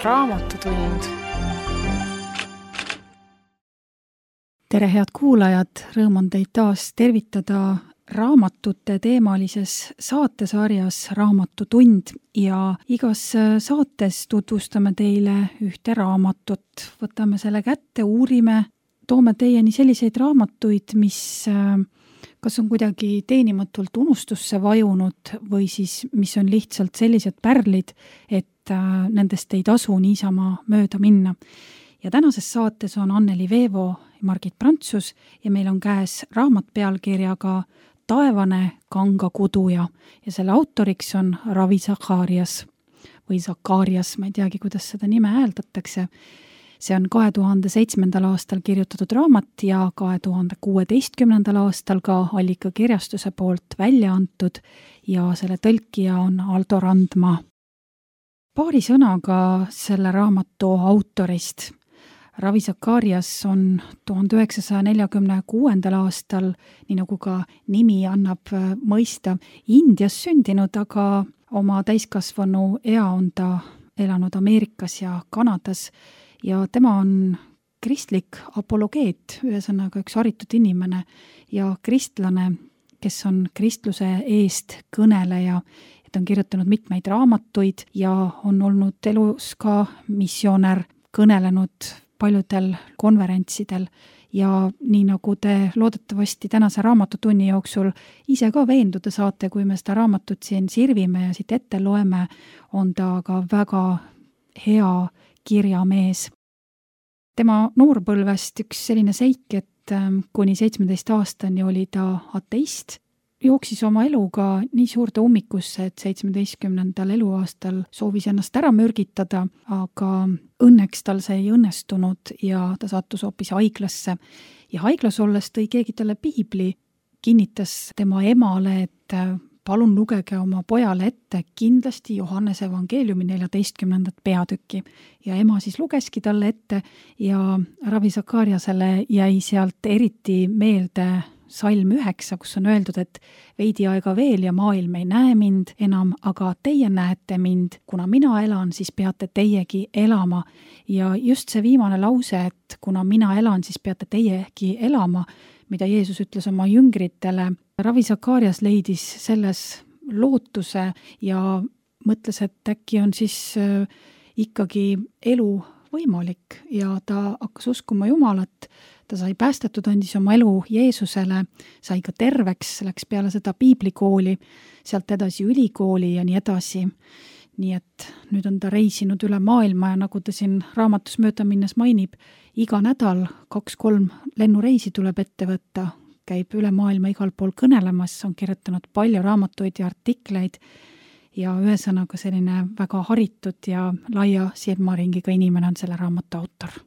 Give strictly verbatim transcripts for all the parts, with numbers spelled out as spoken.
Raamatutund. Tere, head kuulajad! Rõõm on teid taas tervitada raamatute teemalises saatesarjas Raamatutund ja igas saates tutvustame teile ühte raamatut. Võtame selle kätte, uurime, toome teieni selliseid raamatuid, mis kas on kuidagi teenimatult unustusse vajunud või siis mis on lihtsalt sellised pärlid, et nendest ei tasu niisama mööda minna. Ja tänases saates on Anneli Veevo ja Margit Prantsus ja meil on käes raamat pealkirjaga Taevane kangakuduja ja selle autoriks on Ravi Zacharias või Zacharias, ma ei teagi, kuidas seda nime hääldatakse. See on kahe tuhande seitsmendal aastal kirjutatud raamat ja kahe tuhande kuueteistkümnendal aastal ka Allika kirjastuse poolt välja antud ja selle tõlkija on Aldo Randma. Paari sõnaga selle raamatu autorist. Ravi Zacharias on tuhande üheksasaja neljakümne kuuendal aastal, nii nagu ka nimi annab mõista, Indias sündinud, aga oma täiskasvanu ea on ta elanud Ameerikas ja Kanadas ja tema on kristlik apologeet, ühesõnaga üks haritud inimene ja kristlane, kes on kristluse eest kõneleja. Ta on kirjutanud mitmeid raamatuid ja on olnud elus ka missionär, kõnelenud paljudel konverentsidel ja nii nagu te loodetavasti tänase raamatutunni jooksul ise ka veenduda saate, kui me seda raamatut siin sirvime ja siit ette loeme, on ta ka väga hea kirjamees. Tema noorpõlvest üks selline seik, et kuni seitsmeteist aastani oli ta ateist, jooksis oma eluga nii suurde ummikusse, et seitsmeteistkümnendal eluaastal soovis ennast ära mürgitada, aga õnneks tal see ei õnnestunud ja ta sattus hoopis haiglasse. Ja haiglas olles tõi keegi talle piibli, kinnitas tema emale, et palun lugege oma pojale ette kindlasti Johannese evangeeliumi neljateistkümnendat peatükki. Ja ema siis lugeski talle ette ja Ravi Zachariasele jäi sealt eriti meelde salm üheksa, kus on öeldud, et veidi aega veel ja maailm ei näe mind enam, aga teie näete mind. Kuna mina elan, siis peate teiegi elama. Ja just see viimane lause, et kuna mina elan, siis peate teiegi elama, mida Jeesus ütles oma jüngritele. Ravi Zacharias leidis selles lootuse ja mõtles, et äkki on siis ikkagi elu võimalik ja ta hakkas uskuma Jumalat. Ta sai päästetud, andis oma elu Jeesusele, sai ka terveks, läks peale seda piiblikooli, sealt edasi ülikooli ja nii edasi. Nii et nüüd on ta reisinud üle maailma ja nagu ta siin raamatus mööda minnes mainib, iga nädal kaks-kolm lennureisi tuleb ette võtta, käib üle maailma igal pool kõnelemas, on kirjutanud palju raamatuid ja artikleid ja ühesõnaga selline väga haritud ja laia silmaringiga inimene on selle raamatu autor.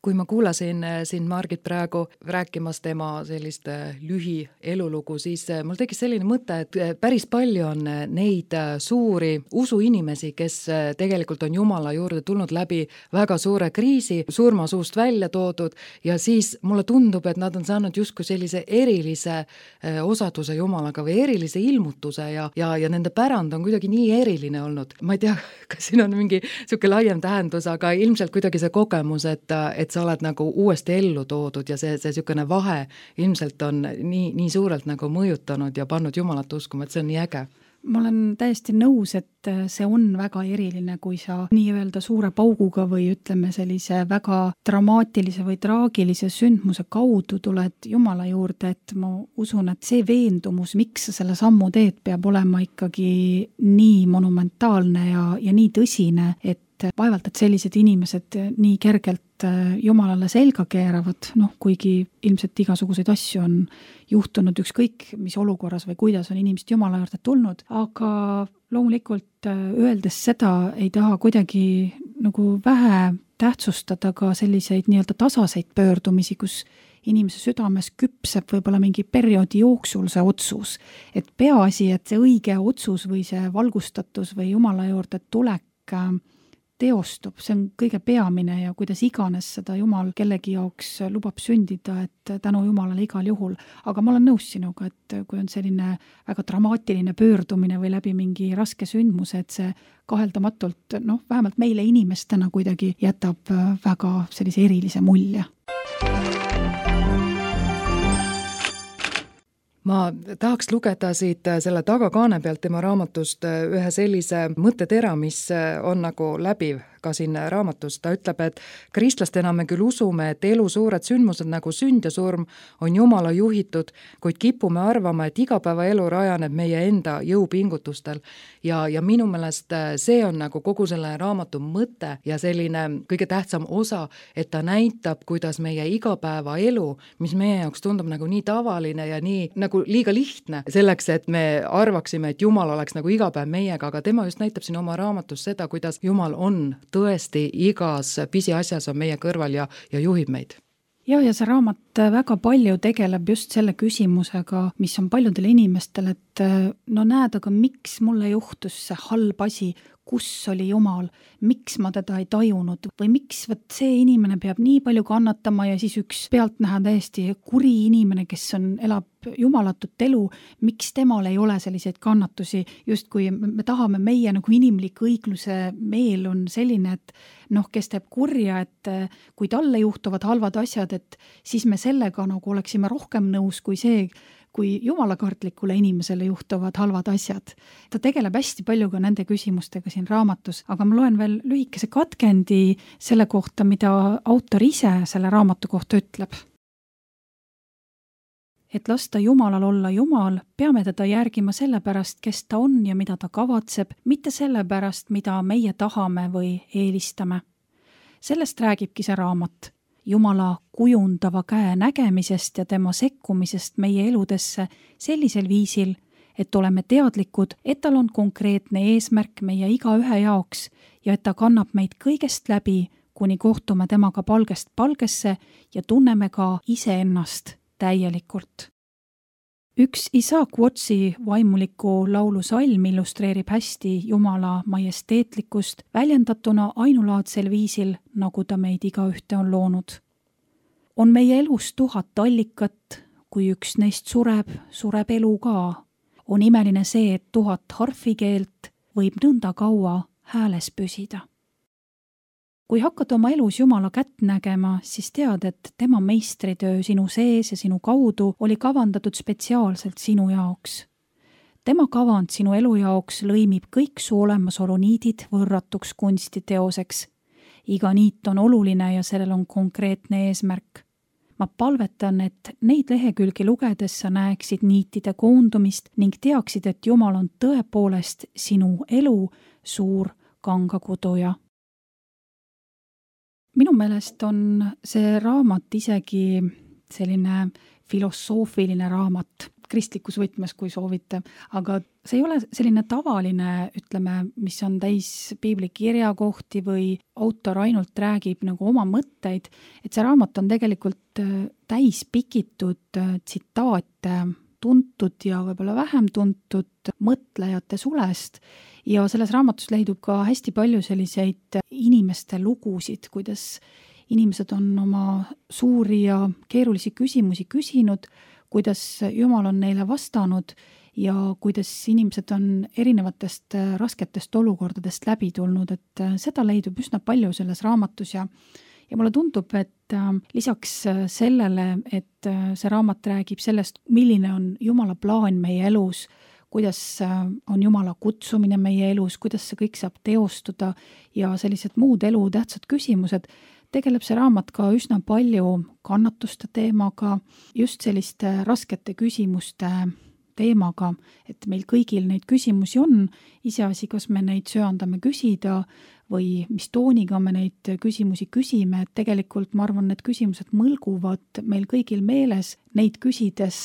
Kui ma kuulasin siin Margit praegu rääkimas tema sellist lühi elulugu, siis mul tekkis selline mõte, et päris palju on neid suuri usuinimesi, kes tegelikult on Jumala juurde tulnud läbi väga suure kriisi, surmasuust välja toodud ja siis mulle tundub, et nad on saanud justkui sellise erilise osaduse Jumalaga või erilise ilmutuse ja, ja, ja nende pärand on kuidagi nii eriline olnud. Ma ei tea, kas siin on mingi selline laiem tähendus, aga ilmselt kuidagi see kogemus, et, et sa oled nagu uuesti ellu toodud ja see, see sükene vahe ilmselt on nii, nii suurelt nagu mõjutanud ja pannud Jumalat uskuma, et see on nii äge. Ma olen täiesti nõus, et see on väga eriline, kui sa nii-öelda suure pauguga või ütleme sellise väga dramaatilise või traagilise sündmuse kaudu tuled Jumala juurde, et ma usun, et see veendumus, miks sa selle sammu teed, peab olema ikkagi nii monumentaalne ja, ja nii tõsine, et vaevalt, et sellised inimesed nii kergelt Jumalale selga keeravad, noh, kuigi ilmselt igasuguseid asju on juhtunud ükskõik, mis olukorras või kuidas on inimesed Jumala juurde tulnud, aga loomulikult öeldes seda ei taha kuidagi nagu vähe tähtsustada ka selliseid nii-öelda tasaseid pöördumisi, kus inimese südames küpseb võib-olla mingi perioodi jooksul see otsus, et peaasi, et see õige otsus või see valgustatus või Jumala juurde tulek teostub, see on kõige peamine ja kuidas iganes seda Jumal kellegi jaoks lubab sündida, et tänu Jumalale igal juhul. Aga ma olen nõus sinuga, et kui on selline väga dramaatiline pöördumine või läbi mingi raske sündmuse, et see kaheldamatult, noh, vähemalt meile inimestena kuidagi jätab väga sellise erilise mulje. Ma tahaks lugeda siit selle tagakaane pealt tema raamatust ühe sellise mõttetera, mis on nagu läbiv ka siin raamatus. Ta ütleb, et kristlastena me küll usume, et elu suured sündmused nagu sünd ja surm on Jumala juhitud, kuid kipume arvama, et igapäevaelu rajaneb meie enda jõupingutustel. Ja, ja minu meelest see on nagu kogu selle raamatu mõte ja selline kõige tähtsam osa, et ta näitab, kuidas meie igapäevaelu, mis meie jaoks tundub nagu nii tavaline ja nii nagu liiga lihtne selleks, et me arvaksime, et Jumal oleks nagu iga päev meiega, aga tema just näitab siin oma raamatus seda, kuidas Jumal on tõesti igas pisiasjas on meie kõrval ja, ja juhib meid. Ja, ja see raamat väga palju tegeleb just selle küsimusega, mis on paljudel inimestel, et no näed, aga miks mulle juhtus see halb asi, kus oli Jumal, miks ma teda ei tajunud või miks võt see inimene peab nii palju kannatama ja siis üks pealtnäha täiesti kuri inimene, kes on, elab jumalatut elu, miks temal ei ole selliseid kannatusi, just kui me tahame, meie nagu inimlik õigluse meel on selline, et noh, kes teeb kurja, et kui talle juhtuvad halvad asjad, et siis me sellega nagu oleksime rohkem nõus kui see, kui jumalakartlikule inimesele juhtuvad halvad asjad. Ta tegeleb hästi palju ka nende küsimustega siin raamatus, aga ma loen veel lühikese katkendi selle kohta, mida autor ise selle raamatu kohta ütleb. Et lasta Jumalal olla Jumal, peame teda järgima sellepärast, kes ta on ja mida ta kavatseb, mitte sellepärast, mida meie tahame või eelistame. Sellest räägibki see raamat. Jumala kujundava käe nägemisest ja tema sekkumisest meie eludesse sellisel viisil, et oleme teadlikud, et tal on konkreetne eesmärk meie igaühe jaoks ja et ta kannab meid kõigest läbi, kuni kohtume temaga palgest palgesse ja tunneme ka iseennast täielikult. Üks Isaac Watsi vaimuliku laulu salm illustreerib hästi Jumala majesteetlikkust väljendatuna ainulaadsel viisil, nagu ta meid igaühte on loonud. On meie elus tuhat allikat, kui üks neist sureb, sureb elu ka. On imeline see, et tuhat harfikeelt võib nõnda kaua hääles püsida. Kui hakkad oma elus Jumala kätt nägema, siis tead, et tema meistritöö sinu sees ja sinu kaudu oli kavandatud spetsiaalselt sinu jaoks. Tema kavand sinu elu jaoks lõimib kõik su olemasolu niidid võrratuks kunstiteoseks. Iga niit on oluline ja sellel on konkreetne eesmärk. Ma palvetan, et neid lehekülgi lugedes sa näeksid niitide koondumist ning teaksid, et Jumal on tõepoolest sinu elu suur kangakuduja. Minu meelest on see raamat isegi selline filosoofiline raamat, kristlikus võtmes, kui soovite, aga see ei ole selline tavaline, ütleme, mis on täis piibli kirjakohti või autor ainult räägib nagu oma mõtteid, et see raamat on tegelikult täis pikitud tsitaate tuntud ja võib-olla vähem tuntud mõtlejate sulest ja selles raamatus leidub ka hästi palju selliseid inimeste lugusid, kuidas inimesed on oma suuri ja keerulisi küsimusi küsinud, kuidas Jumal on neile vastanud ja kuidas inimesed on erinevatest rasketest olukordadest läbi tulnud, et seda leidub üsna palju selles raamatus ja Ja mulle tundub, et lisaks sellele, et see raamat räägib sellest, milline on Jumala plaan meie elus, kuidas on Jumala kutsumine meie elus, kuidas see kõik saab teostuda ja sellised muud elu tähtsad küsimused, tegeleb see raamat ka üsna palju kannatuste teemaga, just selliste raskete küsimuste teemaga, et meil kõigil neid küsimusi on, iseasi, kas me neid söandame küsida või mis tooniga me neid küsimusi küsime, et tegelikult ma arvan, need küsimused mõlguvad meil kõigil meeles, neid küsides,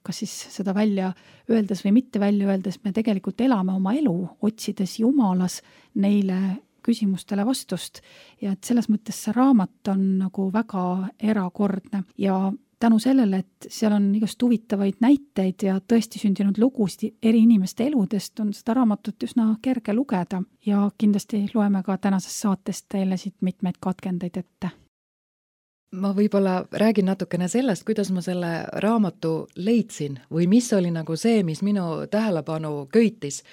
kas siis seda välja öeldes või mitte välja öeldes, me tegelikult elame oma elu, otsides Jumalas neile küsimustele vastust ja et selles mõttes see raamat on nagu väga erakordne ja tänu sellele, et seal on igast huvitavaid näiteid ja tõesti sündinud lugusid eri inimeste eludest, on seda raamatut üsna kerge lugeda ja kindlasti loeme ka tänasest saatest teile siit mitmeid katkendeid ette. Ma võib-olla räägin natukene sellest, kuidas ma selle raamatu leidsin või mis oli nagu see, mis minu tähelepanu köitis.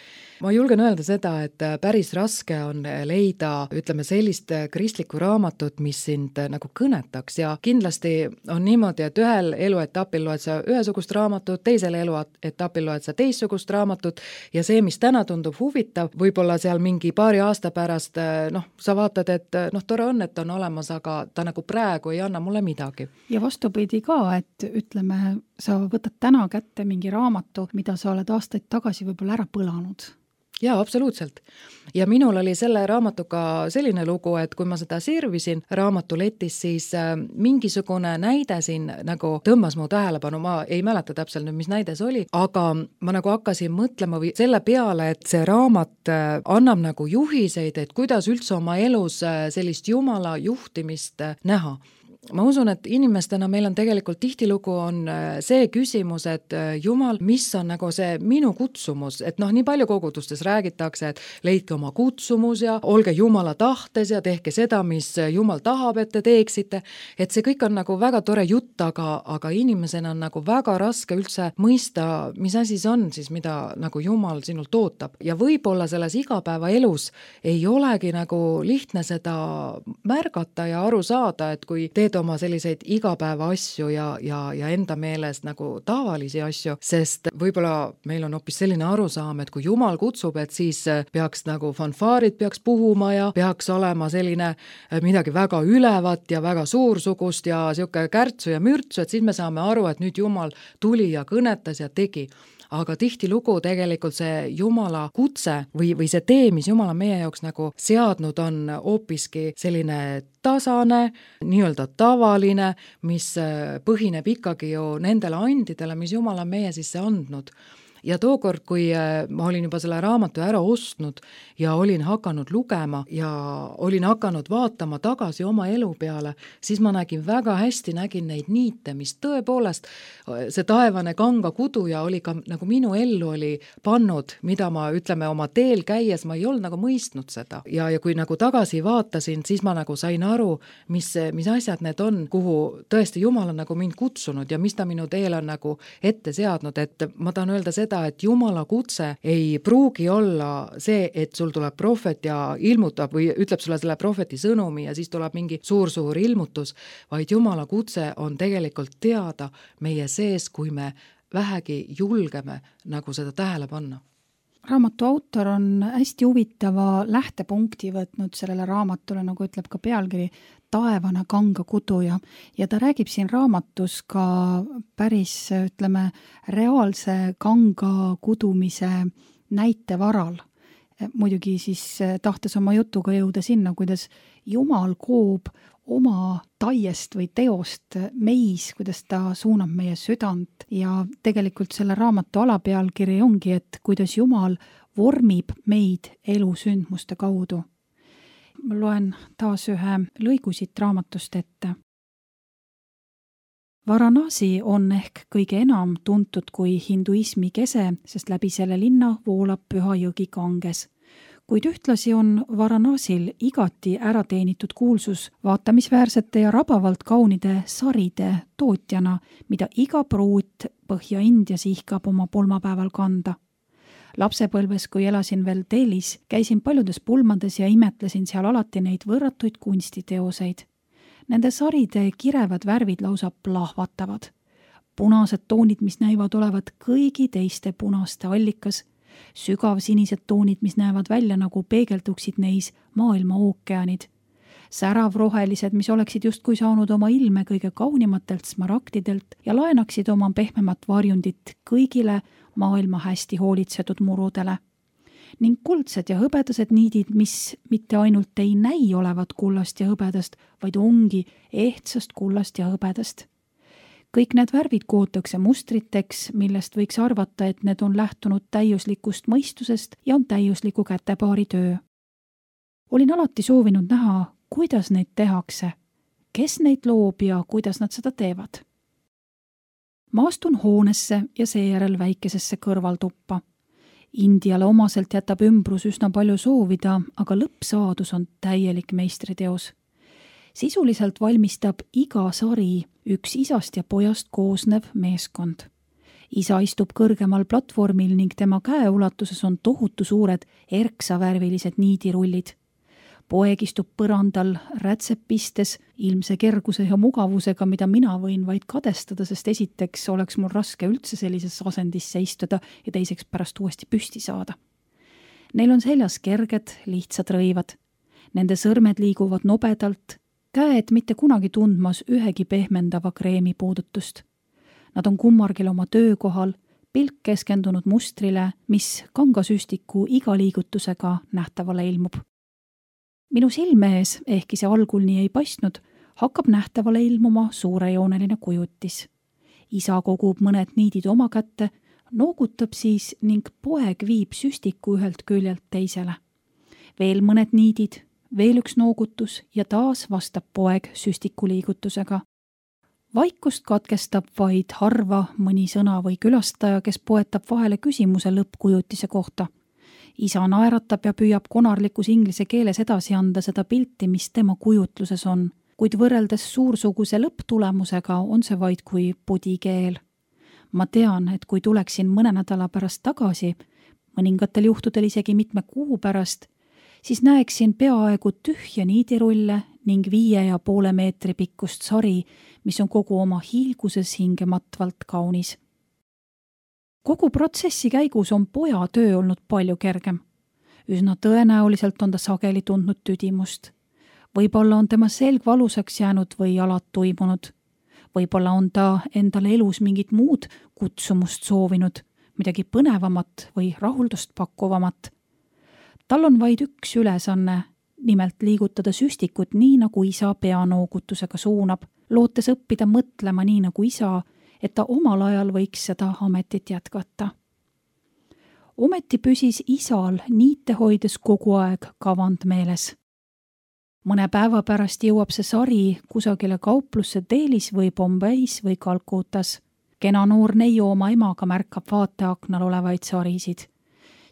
Ma julgen öelda seda, et päris raske on leida, ütleme, sellist kristlikku raamatut, mis sind nagu kõnetaks ja kindlasti on niimoodi, et ühel eluetapil loed sa ühesugust raamatut, teisel eluetapil loed sa teistsugust raamatut ja see, mis täna tundub huvitav, võib-olla seal mingi paari aasta pärast, noh, sa vaatad, et noh, tore on, et on olemas, aga ta nagu praegu ei anna mulle midagi. Ja vastupidi ka, et ütleme, sa võtad täna kätte mingi raamatu, mida sa oled aastaid tagasi võib-olla ära põlanud. Jaa, absoluutselt. Ja minul oli selle raamatuga selline lugu, et kui ma seda sirvisin raamatuletis, siis mingisugune näide siin nagu tõmbas mu tähelepanu, ma ei mäleta täpselt nüüd, mis näide see oli, aga ma nagu hakkasin mõtlema või selle peale, et see raamat annab nagu juhiseid, et kuidas üldse oma elus sellist Jumala juhtimist näha. Ma usun, et inimestena meil on tegelikult tihtilugu on see küsimus, et Jumal, mis on nagu see minu kutsumus, et noh, nii palju kogudustes räägitakse, et leidke oma kutsumus ja olge Jumala tahtes ja tehke seda, mis Jumal tahab, et te teeksite, et see kõik on nagu väga tore jutt, aga, aga inimesena on nagu väga raske üldse mõista, mis asi see on siis, mida nagu Jumal sinult ootab. Ja võib-olla selles igapäeva elus ei olegi nagu lihtne seda märgata ja aru saada, et kui teed oma selliseid igapäeva asju ja, ja, ja enda meelest nagu tavalisi asju, sest võib-olla meil on hoopis selline arusaam, et kui Jumal kutsub, et siis peaks nagu fanfaarid peaks puhuma ja peaks olema selline midagi väga ülevat ja väga suursugust ja siuke kärtsu ja mürtsu, et siis me saame aru, et nüüd Jumal tuli ja kõnetas ja tegi. Aga tihtilugu tegelikult see Jumala kutse või, või see tee, mis Jumal on meie jaoks nagu seadnud, on hoopiski selline tasane, nii-öelda tavaline, mis põhineb ikkagi ju nendele andidele, mis Jumal on meie sisse andnud. Ja tookord, kui ma olin juba selle raamatu ära ostnud ja olin hakanud lugema ja olin hakanud vaatama tagasi oma elu peale, siis ma nägin väga hästi, nägin neid niite, mis tõepoolest see taevane kanga kuduja oli ka nagu minu ellu oli pannud, mida ma ütleme oma teel käies, ma ei olnud nagu mõistnud seda. Ja, ja kui nagu tagasi vaatasin, siis ma nagu sain aru, mis, mis asjad need on, kuhu tõesti Jumal on nagu mind kutsunud ja mis ta minu teel on nagu ette seadnud, et ma tahan öelda seda, et Jumala kutse ei pruugi olla see, et sul tuleb prohvet ja ilmutab või ütleb sulle selle prohveti sõnumi ja siis tuleb mingi suur-suur ilmutus, vaid Jumala kutse on tegelikult teada meie sees, kui me vähegi julgeme nagu seda tähele panna. Raamatu autor on hästi huvitava lähtepunkti võtnud sellele raamatule, nagu ütleb ka pealkiri, taevane kanga kuduja. Ja ta räägib siin raamatus ka päris, ütleme, reaalse kanga kudumise näite varal. Muidugi siis tahtes oma jutuga jõuda sinna, kuidas Jumal koob oma taiest või teost meis, kuidas ta suunab meie südant ja tegelikult selle raamatu alapealkiri ongi, et kuidas Jumal vormib meid elusündmuste kaudu. Ma loen taas ühe lõigu siit raamatust ette. Varanasi on ehk kõige enam tuntud kui hinduismi kese, sest läbi selle linna voolab püha jõgi Ganges. Kuid ühtlasi on Varanasil igati ärateenitud kuulsus vaatamisväärsete ja rabavalt kaunide saride tootjana, mida iga pruut Põhja-Indias ihkab oma pulmapäeval kanda. Lapsepõlves, kui elasin veel Delhis, käisin paljudes pulmades ja imetlesin seal alati neid võrratuid kunstiteoseid. Nende saride kirevad värvid lausa plahvatavad. Punased toonid, mis näivad olevat kõigi teiste punaste allikas, sügav sinised toonid, mis näevad välja nagu peegelduksid neis maailma ookeanid. Särav rohelised, mis oleksid justkui saanud oma ilme kõige kaunimatelt smaragdidelt ja laenaksid oma pehmemat varjundit kõigile maailma hästi hoolitsetud murudele. Ning kuldsed ja hõbedased niidid, mis mitte ainult ei näi olevat kullast ja hõbedast, vaid ongi ehtsast kullast ja hõbedast. Kõik need värvid kootakse mustriteks, millest võiks arvata, et need on lähtunud täiuslikust mõistusest ja on täiusliku kätepaari töö. Olin alati soovinud näha, kuidas neid tehakse, kes neid loob ja kuidas nad seda teevad. Ma astun hoonesse ja seejärel väikesesse kõrvaltuppa. Indiale omaselt jätab ümbrus üsna palju soovida, aga lõppsaadus on täielik meistriteos. Sisuliselt valmistab iga sari üks isast ja pojast koosnev meeskond. Isa istub kõrgemal platvormil ning tema käeulatuses on tohutu suured erksavärvilised niidirullid. Poeg istub põrandal rätsepistes ilmse kerguse ja mugavusega, mida mina võin vaid kadestada, sest esiteks oleks mul raske üldse sellises asendisse istuda ja teiseks pärast uuesti püsti saada. Neil on seljas kerged, lihtsad rõivad. Nende sõrmed liiguvad nobedalt, käed mitte kunagi tundmas ühegi pehmendava kreemi puudutust. Nad on kummargil oma töökohal, pilk keskendunud mustrile, mis kangasüstiku iga liigutusega nähtavale ilmub. Minu silme ees, ehkki see algul nii ei paistnud, hakkab nähtavale ilmuma suurejooneline kujutis. Isa kogub mõned niidid oma kätte, noogutab siis ning poeg viib süstiku ühelt küljelt teisele. Veel mõned niidid, veel üks noogutus ja taas vastab poeg süstiku liigutusega. Vaikust katkestab vaid harva mõni sõna või külastaja, kes poetab vahele küsimuse lõppkujutise kohta. Isa naeratab ja püüab konarlikus inglise keeles edasi anda seda pilti, mis tema kujutluses on, kuid võrreldes suursuguse lõpptulemusega on see vaid kui pudikeel. Ma tean, et kui tuleksin mõne nädala pärast tagasi, mõningatel juhtudel isegi mitme kuu pärast, siis näeksin peaaegu tühja niidirulle ning viie ja poole meetri pikkust sari, mis on kogu oma hiilguses hingematvalt kaunis. Kogu protsessi käigus on poja töö olnud palju kergem. Üsna tõenäoliselt on ta sageli tundnud tüdimust. Võib-olla on tema selg valusaks jäänud või jalad tuimunud. Võib-olla on ta endale elus mingit muud kutsumust soovinud, midagi põnevamat või rahuldust pakkuvamat. Tal on vaid üks ülesanne, nimelt liigutada süstikut nii, nagu isa peanoogutusega suunab, lootes õppida mõtlema nii, nagu isa, et ta omal ajal võiks seda ametit jätkata. Ometi püsis isal niite hoides kogu aeg kavand meeles. Mõne päeva pärast jõuab see sari kusagile kauplusse Delis või Bombeis või Kalkutas. Kena noor neiu oma emaga märkab vaateaknal olevaid sarisid.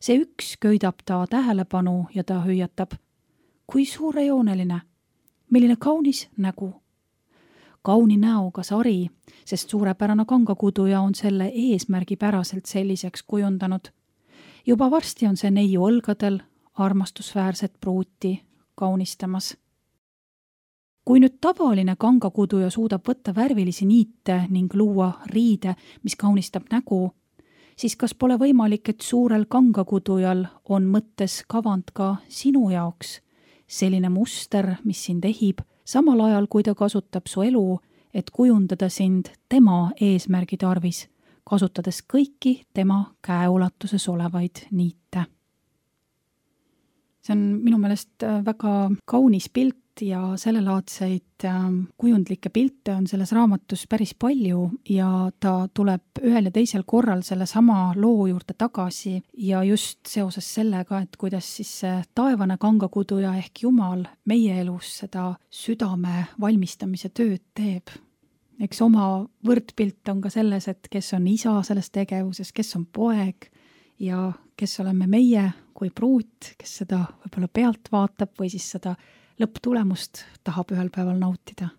See üks köidab ta tähelepanu ja ta hüüatab. Kui suurejooneline, milline kaunis nägu. Kauni näoga sari, sest suurepärane kangakuduja on selle eesmärgipäraselt selliseks kujundanud. Juba varsti on see neiu õlgadel armastusväärset pruuti kaunistamas. Kui nüüd tavaline kangakuduja suudab võtta värvilisi niite ning luua riide, mis kaunistab nägu, siis kas pole võimalik, et suurel kangakudujal on mõttes kavand ka sinu jaoks, selline muster, mis sind ehib, samal ajal kui ta kasutab su elu, et kujundada sind tema eesmärgi tarvis, kasutades kõiki tema käeulatuses olevaid niite. See on minu meelest väga kaunis pilt ja sellelaadseid kujundlikke pilte on selles raamatus päris palju ja ta tuleb ühel ja teisel korral selle sama loo juurde tagasi ja just seoses sellega, et kuidas siis see taevane kangakuduja ehk Jumal meie elus seda südame valmistamise tööd teeb. Eks oma võrdpilt on ka selles, et kes on isa selles tegevuses, kes on poeg ja kes oleme meie kui pruut, kes seda võib-olla pealt vaatab või siis seda lõpptulemust tahab ühel päeval nautida.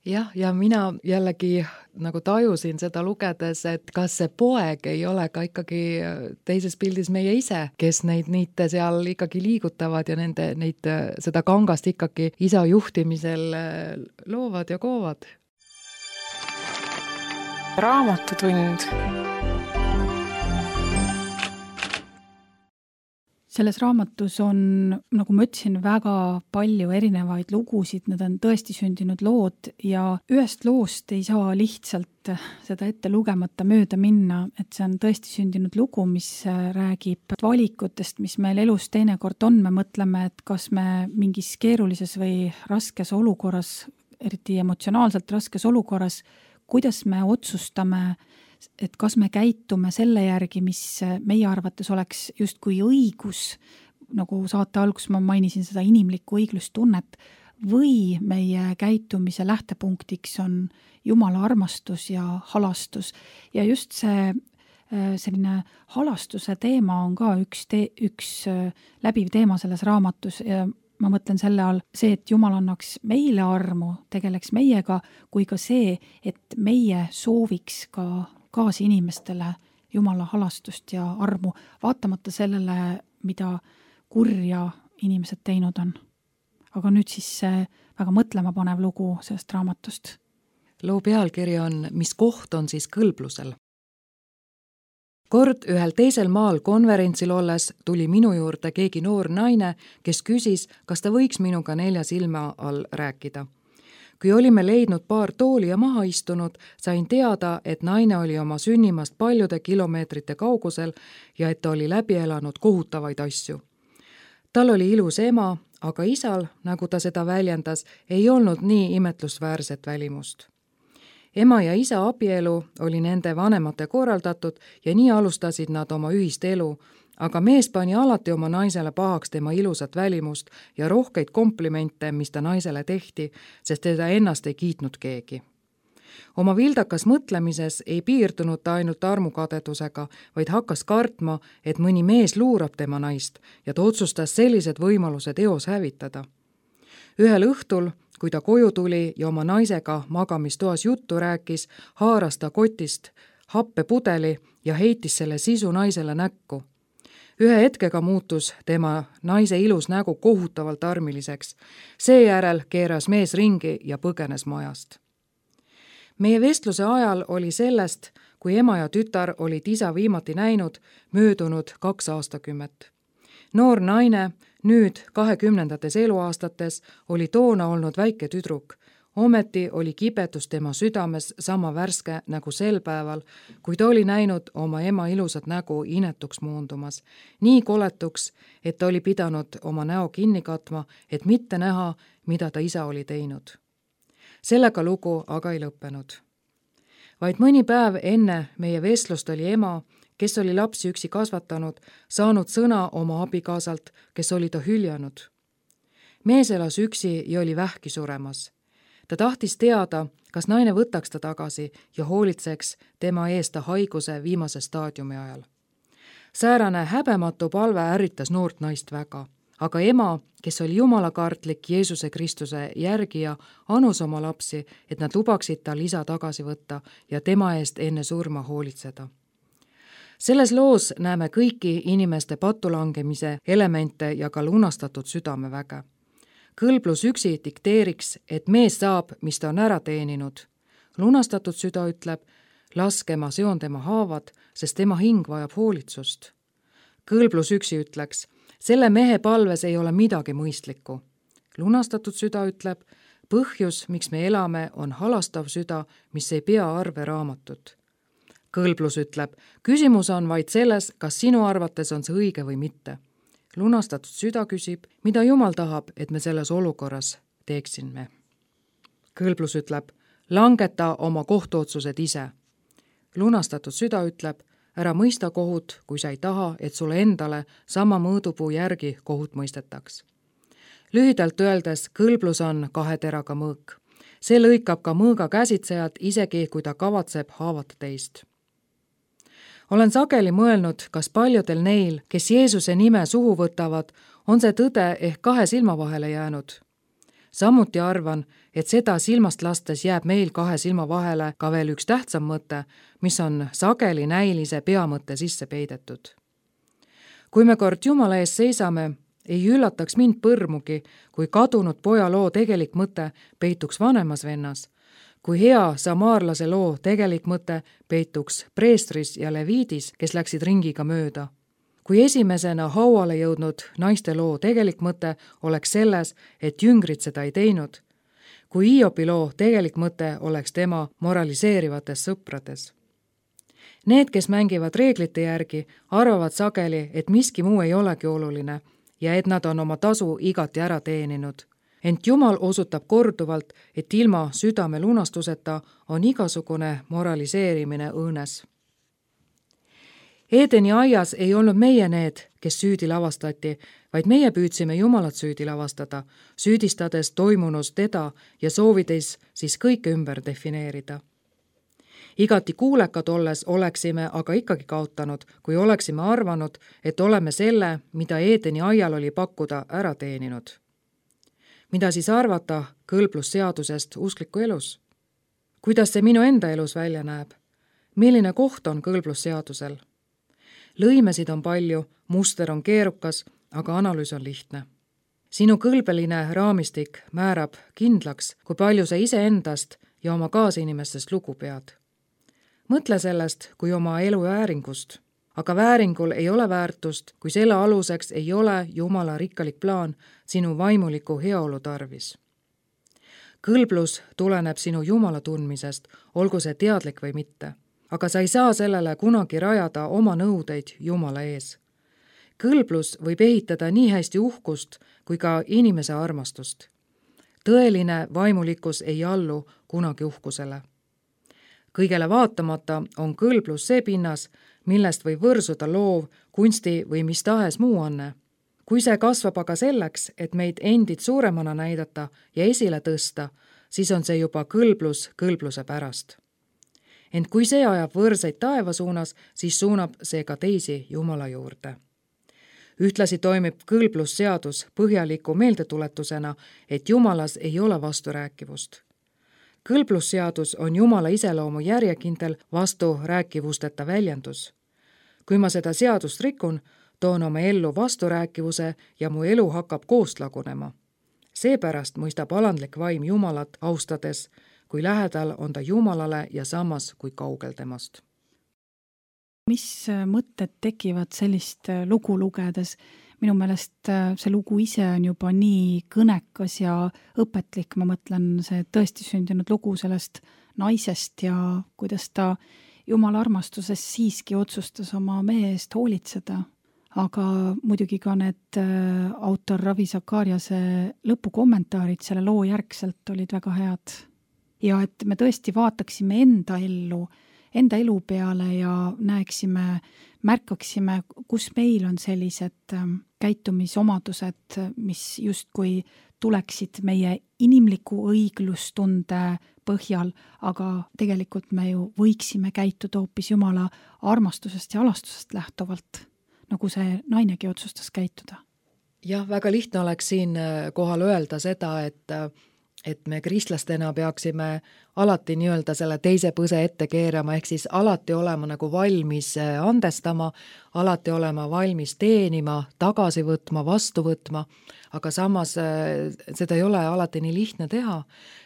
Jah, ja mina jällegi nagu tajusin seda lugedes, et kas see poeg ei ole ka ikkagi teises pildis meie ise, kes neid niite seal ikkagi liigutavad ja nende, neid, seda kangast ikkagi isa juhtimisel loovad ja koovad. Raamatutund. Selles raamatus on, nagu ma ütlesin, väga palju erinevaid lugusid, need on tõesti sündinud lood ja ühest loost ei saa lihtsalt seda ette lugemata mööda minna, et see on tõesti sündinud lugu, mis räägib valikutest, mis meil elus teinekord on. Me mõtleme, et kas me mingis keerulises või raskes olukorras, eriti emotsionaalselt raskes olukorras, kuidas me otsustame, et kas me käitume selle järgi, mis meie arvates oleks justkui õigus, nagu saate alguses ma mainisin seda inimlikku õiglustunnet, või meie käitumise lähtepunktiks on Jumala armastus ja halastus. Ja just see selline halastuse teema on ka üks, te, üks läbiv teema selles raamatus ja ma mõtlen selle all see, et Jumal annaks meile armu, tegeleks meiega, kui ka see, et meie sooviks ka kaasinimestele Jumala halastust ja armu, vaatamata sellele, mida kurja inimesed teinud on. Aga nüüd siis see väga mõtlema panev lugu sellest raamatust. Loo pealkiri on, mis koht on siis kõlblusel? Kord ühel teisel maal konverentsil olles tuli minu juurde keegi noor naine, kes küsis, kas ta võiks minuga nelja silma all rääkida. Kui olime leidnud paar tooli ja maha istunud, sain teada, et naine oli oma sünnimast paljude kilomeetrite kaugusel ja et ta oli läbi elanud kohutavaid asju. Tal oli ilus ema, aga isal, nagu ta seda väljendas, ei olnud nii imetlusväärset välimust. Ema ja isa abielu oli nende vanemate korraldatud ja nii alustasid nad oma ühist elu, aga mees pani alati oma naisele pahaks tema ilusat välimust ja rohkeid komplimente, mis ta naisele tehti, sest teda ennast ei kiitnud keegi. Oma vildakas mõtlemises ei piirdunud ta ainult armukadedusega, vaid hakkas kartma, et mõni mees luurab tema naist ja ta otsustas sellised võimalused eos hävitada. Ühel õhtul, kui ta koju tuli ja oma naisega magamistoas juttu rääkis, haaras ta kotist happepudeli ja heitis selle sisu naisele näkku. Ühe hetkega muutus tema naise ilus nägu kohutavalt armiliseks. Seejärel keeras mees ringi ja põgenes majast. Meie vestluse ajal oli sellest, kui ema ja tütar olid isa viimati näinud, möödunud kaks aastakümmet. Noor naine, nüüd kahekümnendates eluaastates, oli toona olnud väike tüdruk. Ometi oli kibetus tema südames sama värske nagu sel päeval, kui ta oli näinud oma ema ilusat nägu inetuks muundumas. Nii koletuks, et ta oli pidanud oma näo kinni katma, et mitte näha, mida ta isa oli teinud. Sellega lugu aga ei lõppenud. Vaid mõni päev enne meie vestlust oli ema, kes oli lapsi üksi kasvatanud, saanud sõna oma abikaasalt, kes oli ta hüljanud. Mees elas üksi ja oli vähki suremas. Ta tahtis teada, kas naine võtaks ta tagasi ja hoolitseks tema eest ta haiguse viimase staadiumi ajal. Säärane häbematu palve ärritas noort naist väga, aga ema, kes oli jumalakartlik Jeesuse Kristuse järgija, anus oma lapsi, et nad lubaksid tal isa tagasi võtta ja tema eest enne surma hoolitseda. Selles loos näeme kõiki inimeste patulangemise elemente ja ka lunastatud südameväge. Kõlblus üksi dikteeriks, et mees saab, mis ta on ära teeninud. Lunastatud süda ütleb, laske ma seon tema haavad, sest tema hing vajab hoolitsust. Kõlblus üksi ütleks, selle mehe palves ei ole midagi mõistlikku. Lunastatud süda ütleb, põhjus, miks me elame, on halastav süda, mis ei pea arve raamatut. Kõlblus ütleb, küsimus on vaid selles, kas sinu arvates on see õige või mitte. Lunastatud süda küsib, mida Jumal tahab, et me selles olukorras teeksime. Kõlblus ütleb, langeta oma kohtuotsused ise. Lunastatud süda ütleb, ära mõista kohut, kui sa ei taha, et sulle endale sama mõõdupuu järgi kohut mõistetaks. Lühidalt öeldes, kõlblus on kahe teraga mõõk. See lõikab ka mõõga käsitsejad, isegi kui ta kavatseb haavata teist. Olen sageli mõelnud, kas paljudel neil, kes Jeesuse nime suhu võtavad, on see tõde ehk kahe silma vahele jäänud. Samuti arvan, et seda silmast lastes jääb meil kahe silma vahele ka veel üks tähtsam mõte, mis on sageli näilise peamõtte sisse peidetud. Kui me kord Jumala ees seisame, ei üllataks mind põrmugi, kui kadunud poja loo tegelik mõte peituks vanemas vennas, kui hea samaarlase loo tegelik mõte peituks preestris ja leviidis, kes läksid ringiga mööda. Kui esimesena hauale jõudnud naiste loo tegelik mõte oleks selles, et jüngrid seda ei teinud, kui Hiobi loo tegelik mõte oleks tema moraliseerivates sõprades. Need, kes mängivad reeglite järgi, arvavad sageli, et miski muu ei olegi oluline ja et nad on oma tasu igati ära teeninud. Ent Jumal osutab korduvalt, et ilma südame lunastuseta on igasugune moraliseerimine õõnes. Eedeni aias ei olnud meie need, kes süüdi lavastati, vaid meie püüdsime Jumalat süüdi lavastada, süüdistades toimunus teda ja soovides siis kõike ümber defineerida. Igati kuulekad olles oleksime aga ikkagi kaotanud, kui oleksime arvanud, et oleme selle, mida Eedeni aial oli pakkuda, ära teeninud. Mida siis arvata kõlblusseadusest uskliku elus? Kuidas see minu enda elus välja näeb? Milline koht on kõlblusseadusel? Lõimesid on palju, muster on keerukas, aga analüüs on lihtne. Sinu kõlbeline raamistik määrab kindlaks, kui palju sa iseendast ja oma kaasinimestest lugu pead. Mõtle sellest kui oma elu vääringust, aga vääringul ei ole väärtust, kui selle aluseks ei ole Jumala rikkalik plaan sinu vaimuliku heaolu tarvis. Kõlblus tuleneb sinu Jumala tundmisest, olgu see teadlik või mitte, aga sa ei saa sellele kunagi rajada oma nõudeid Jumala ees. Kõlblus võib ehitada nii hästi uhkust kui ka inimese armastust. Tõeline vaimulikkus ei allu kunagi uhkusele. Kõigele vaatamata on kõlblus see pinnas, millest võib võrsuda loov, kunsti või mis tahes muu anne. Kui see kasvab aga selleks, et meid endid suuremana näidata ja esile tõsta, siis on see juba kõlblus kõlbluse pärast. Ent kui see ajab võrseid taeva suunas, siis suunab see ka teisi Jumala juurde. Ühtlasi toimib kõlblusseadus põhjaliku meeldetuletusena, et Jumalas ei ole vasturääkivust. Kõlblusseadus on Jumala iseloomu järjekindel vasturääkivusteta väljendus. Kui ma seda seadust rikun, toon oma ellu vasturääkivuse ja mu elu hakkab koost lagunema. Seepärast mõistab alandlik vaim Jumalat austades, kui lähedal on ta Jumalale ja samas kui kaugel temast. Mis mõtted tekivad sellist lugu lugedes? Minu meelest see lugu ise on juba nii kõnekas ja õpetlik, ma mõtlen see tõesti sündinud lugu sellest naisest ja kuidas ta Jumala armastuses siiski otsustas oma mehe eest hoolitseda. Aga muidugi ka need autor Ravi Zakariase lõpukommentaarid selle loo järgselt olid väga head. Ja et me tõesti vaataksime enda ellu, enda elu peale ja näeksime, märkaksime, kus meil on sellised käitumisomadused, mis justkui tuleksid meie inimliku õiglustunde põhjal, aga tegelikult me ju võiksime käituda hoopis Jumala armastusest ja alastusest lähtuvalt, nagu see nainegi otsustas käituda. Jah, väga lihtne oleks siin kohal öelda seda, et et me kristlastena peaksime alati nii-öelda selle teise põse ette keerama, ehk siis alati olema nagu valmis andestama, alati olema valmis teenima, tagasi võtma, vastu võtma, aga samas seda ei ole alati nii lihtne teha.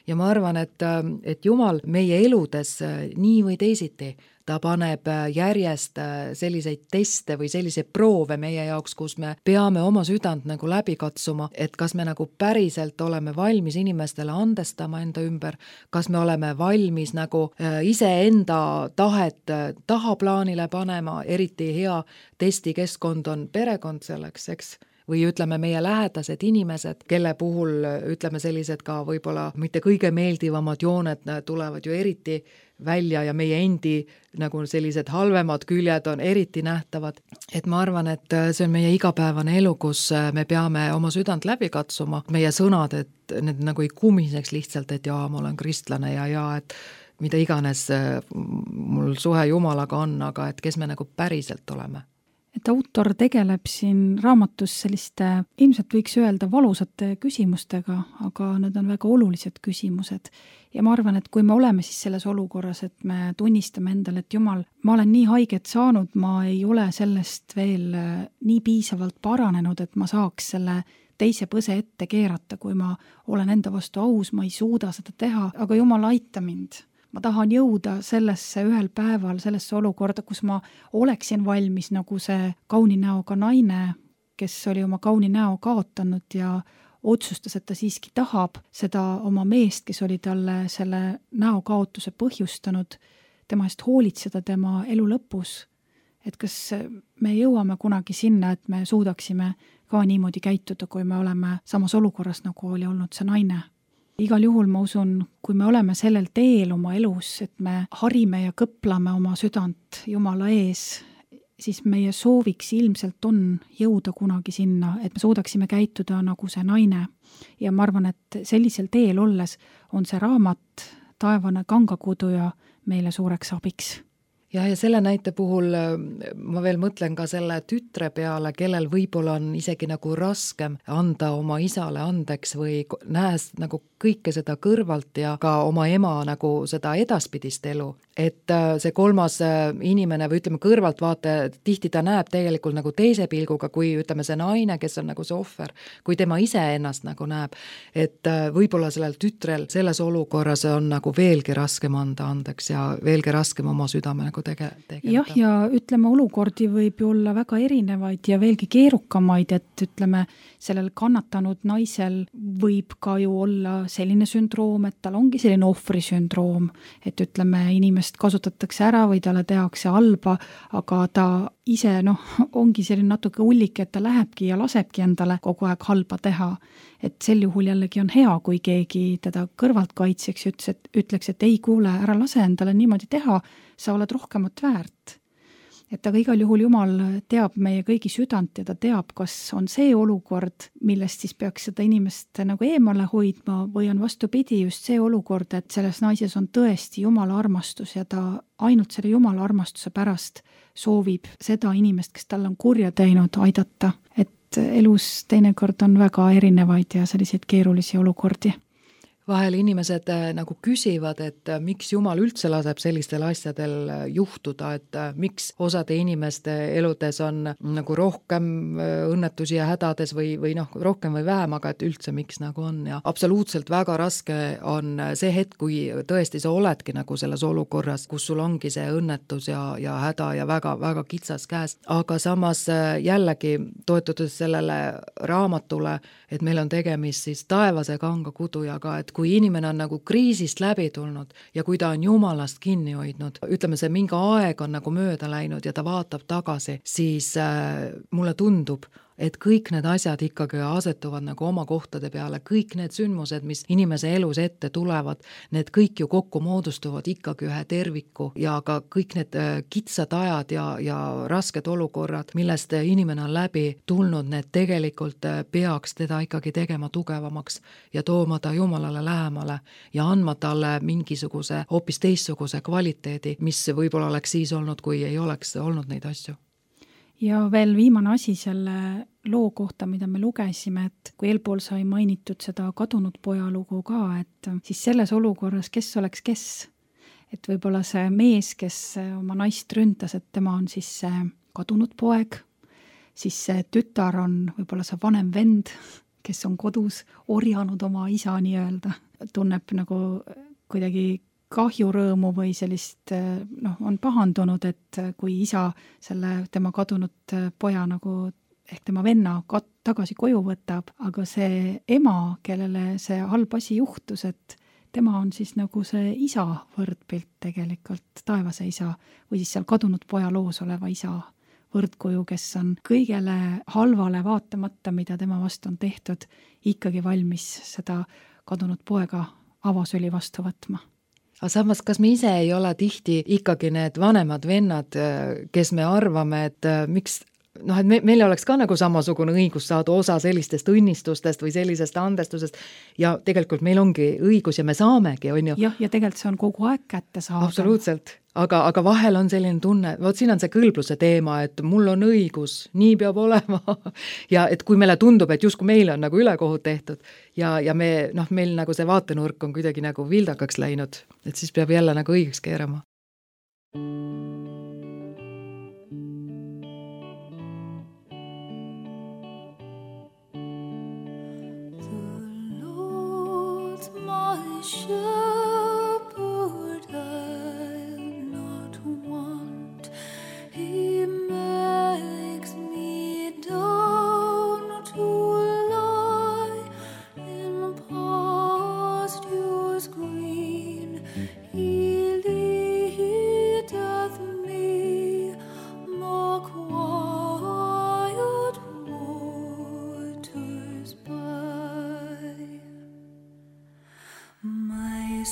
Ja ma arvan, et, et Jumal meie eludes nii või teisiti, ta paneb järjest selliseid teste või selliseid proove meie jaoks, kus me peame oma südant nagu läbi katsuma, et kas me nagu päriselt oleme valmis inimestele andestama enda ümber, kas me oleme valmis nagu iseenda tahet tahaplaanile panema, eriti hea testikeskkond on perekond selleks, eks? Või ütleme meie lähedased inimesed, kelle puhul ütleme sellised ka võib-olla mitte kõige meeldivamad jooned tulevad ju eriti välja ja meie endi nagu sellised halvemad küljed on eriti nähtavad. Et ma arvan, et see on meie igapäevane elu, kus me peame oma südant läbi katsuma. Meie sõnad, et need nagu ei kumiseks lihtsalt, et jaa, ma olen kristlane ja jaa, et mida iganes mul suhe Jumalaga on, aga et kes me nagu päriselt oleme. Et autor tegeleb siin raamatus selliste, ilmselt võiks öelda valusate küsimustega, aga need on väga olulised küsimused. Ja ma arvan, et kui me oleme siis selles olukorras, et me tunnistame endale, et Jumal, ma olen nii haiget saanud, ma ei ole sellest veel nii piisavalt paranenud, et ma saaks selle teise põse ette keerata, kui ma olen enda vastu aus, ma ei suuda seda teha, aga Jumal, aita mind. Ma tahan jõuda sellesse ühel päeval, sellesse olukorda, kus ma oleksin valmis nagu see kauni näoga naine, kes oli oma kauni näo kaotanud ja otsustas, et ta siiski tahab seda oma meest, kes oli talle selle näo kaotuse põhjustanud, tema eest hoolitseda tema elu lõpus. Et kas me jõuame kunagi sinna, et me suudaksime ka niimoodi käituda, kui me oleme samas olukorras, nagu oli olnud see naine. Igal juhul ma usun, kui me oleme sellel teel oma elus, et me harime ja kõplame oma südant Jumala ees siis meie sooviks ilmselt on jõuda kunagi sinna, et me suudaksime käituda nagu see naine. Ja ma arvan, et sellisel teel olles on see raamat Taevane kangakuduja meile suureks abiks. Ja, ja selle näite puhul ma veel mõtlen ka selle tütre peale, kellel võib-olla on isegi nagu raskem anda oma isale andeks või nähes nagu kõike seda kõrvalt ja ka oma ema nagu seda edaspidist elu. Et see kolmas inimene või ütleme kõrvaltvaate, tihti ta näeb tegelikult nagu teise pilguga, kui ütleme see naine, kes on nagu see ohver, kui tema ise ennast nagu näeb. Et võib-olla sellel tütrel selles olukorras on nagu veelgi raskem anda andeks ja veelgi raskem oma südame nagu tege- tegeleda. Jah, ja ütleme, olukordi võib ju olla väga erinevaid ja veelgi keerukamaid, et ütleme, sellel kannatanud naisel võib ka ju olla selline sündroom, et tal ongi selline ohvrisündroom, et ütleme, inimest kasutatakse ära või talle tehakse halba, aga ta ise noh, ongi selline natuke ullik, et ta lähebki ja lasebki endale kogu aeg halba teha. Et sel juhul jällegi on hea, kui keegi teda kõrvalt kaitseks ja ütles, et, ütleks, et ei kuule, ära lase endale niimoodi teha, sa oled rohkemat väärt. Et aga igal juhul Jumal teab meie kõigi südant ja ta teab, kas on see olukord, millest siis peaks seda inimest nagu eemale hoidma või on vastupidi just see olukord, et selles naises on tõesti Jumala armastus ja ta ainult selle Jumala armastuse pärast soovib seda inimest, kes tal on kurja teinud, aidata. Et elus teinekord on väga erinevaid ja selliseid keerulisi olukordi. Vahel inimesed nagu küsivad, et miks Jumal üldse laseb sellistel asjadel juhtuda, et miks osade inimeste eludes on nagu rohkem õnnetusi ja hädades või, või noh, rohkem või vähem, aga et üldse miks nagu on. Ja absoluutselt väga raske on see hetk, kui tõesti sa oledki nagu selles olukorras, kus sul ongi see õnnetus ja, ja häda ja väga, väga kitsas käes. Aga samas jällegi toetudes sellele raamatule, et meil on tegemist siis taevase kanga kudujaga, et kui inimene on nagu kriisist läbi tulnud ja kui ta on Jumalast kinni hoidnud, ütleme see mingi aeg on nagu mööda läinud ja ta vaatab tagasi, siis äh, mulle tundub, et kõik need asjad ikkagi asetuvad nagu oma kohtade peale, kõik need sündmused, mis inimese elus ette tulevad, need kõik ju kokku moodustuvad ikkagi ühe terviku ja ka kõik need kitsad ajad ja, ja rasked olukorrad, millest inimene on läbi tulnud, need tegelikult peaks teda ikkagi tegema tugevamaks ja tooma ta Jumalale lähemale ja andma talle mingisuguse hoopis teistsuguse kvaliteedi, mis võib-olla oleks siis olnud, kui ei oleks olnud neid asju. Ja veel viimane asi selle loo kohta, mida me lugesime, et kui eelpool sai mainitud seda kadunud poja lugu ka, et siis selles olukorras, kes oleks kes, et võib-olla see mees, kes oma naist ründas, et tema on siis see kadunud poeg, siis see tütar on võib-olla see vanem vend, kes on kodus orjanud oma isa nii-öelda, tunneb nagu kuidagi kahjurõõmu või sellist, noh, on pahandunud, et kui isa selle tema kadunud poja nagu ehk tema venna kat- tagasi koju võtab, aga see ema, kellele see halb asi juhtus, et tema on siis nagu see isa võrdpilt tegelikult, taevase isa või siis seal kadunud poja loos oleva isa võrdkuju, kes on kõigele halvale vaatamata, mida tema vastu on tehtud, ikkagi valmis seda kadunud poega avasüli vastu võtma. Aga samas, kas me ise ei ole tihti ikkagi need vanemad vennad, kes me arvame, et miks noh, et me, meil oleks ka nagu samasugune õigus saada osa sellistest õnnistustest või sellisest andestusest ja tegelikult meil ongi õigus ja me saamegi, on ju. Jah, ja tegelikult see on kogu aeg kätte saada. Absoluutselt. Aga, aga vahel on selline tunne, võt siin on see kõlbluse teema, et mul on õigus, nii peab olema ja et kui meile tundub, et justkui meile on nagu ülekohut tehtud ja, ja me, noh, meil nagu see vaatenurk on kuidagi nagu vildakaks läinud, et siis peab jälle nagu õigeks keerama. My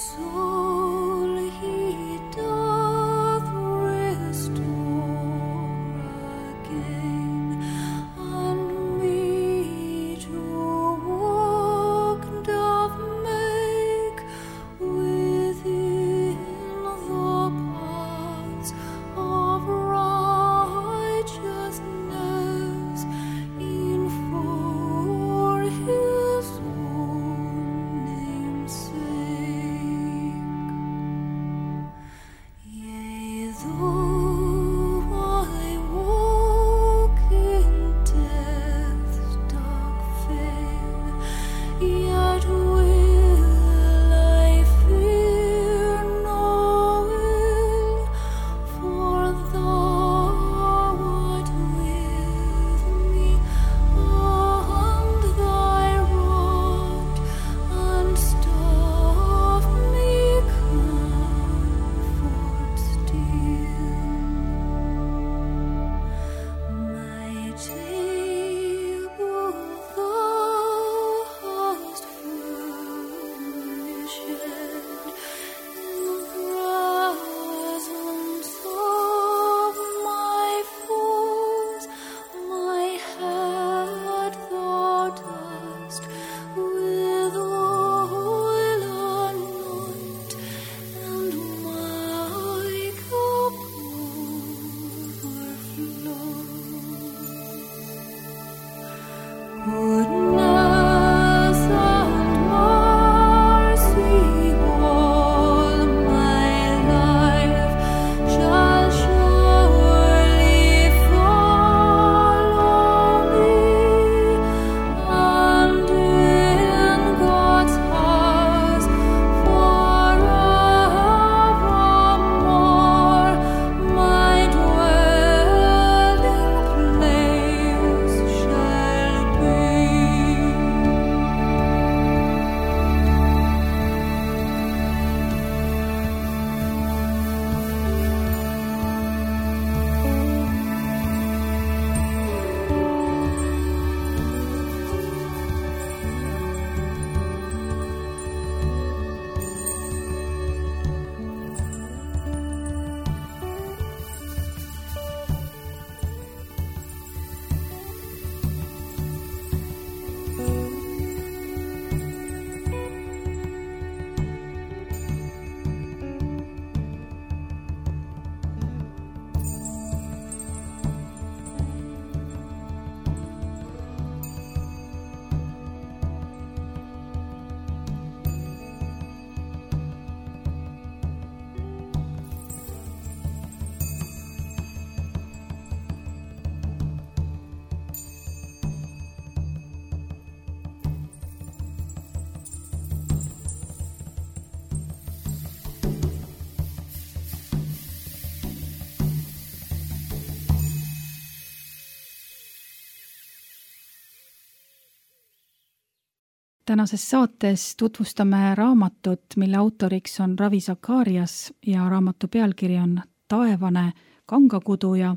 Tänases saates tutvustame raamatut, mille autoriks on Ravi Zacharias ja raamatu pealkiri on Taevane kangakuduja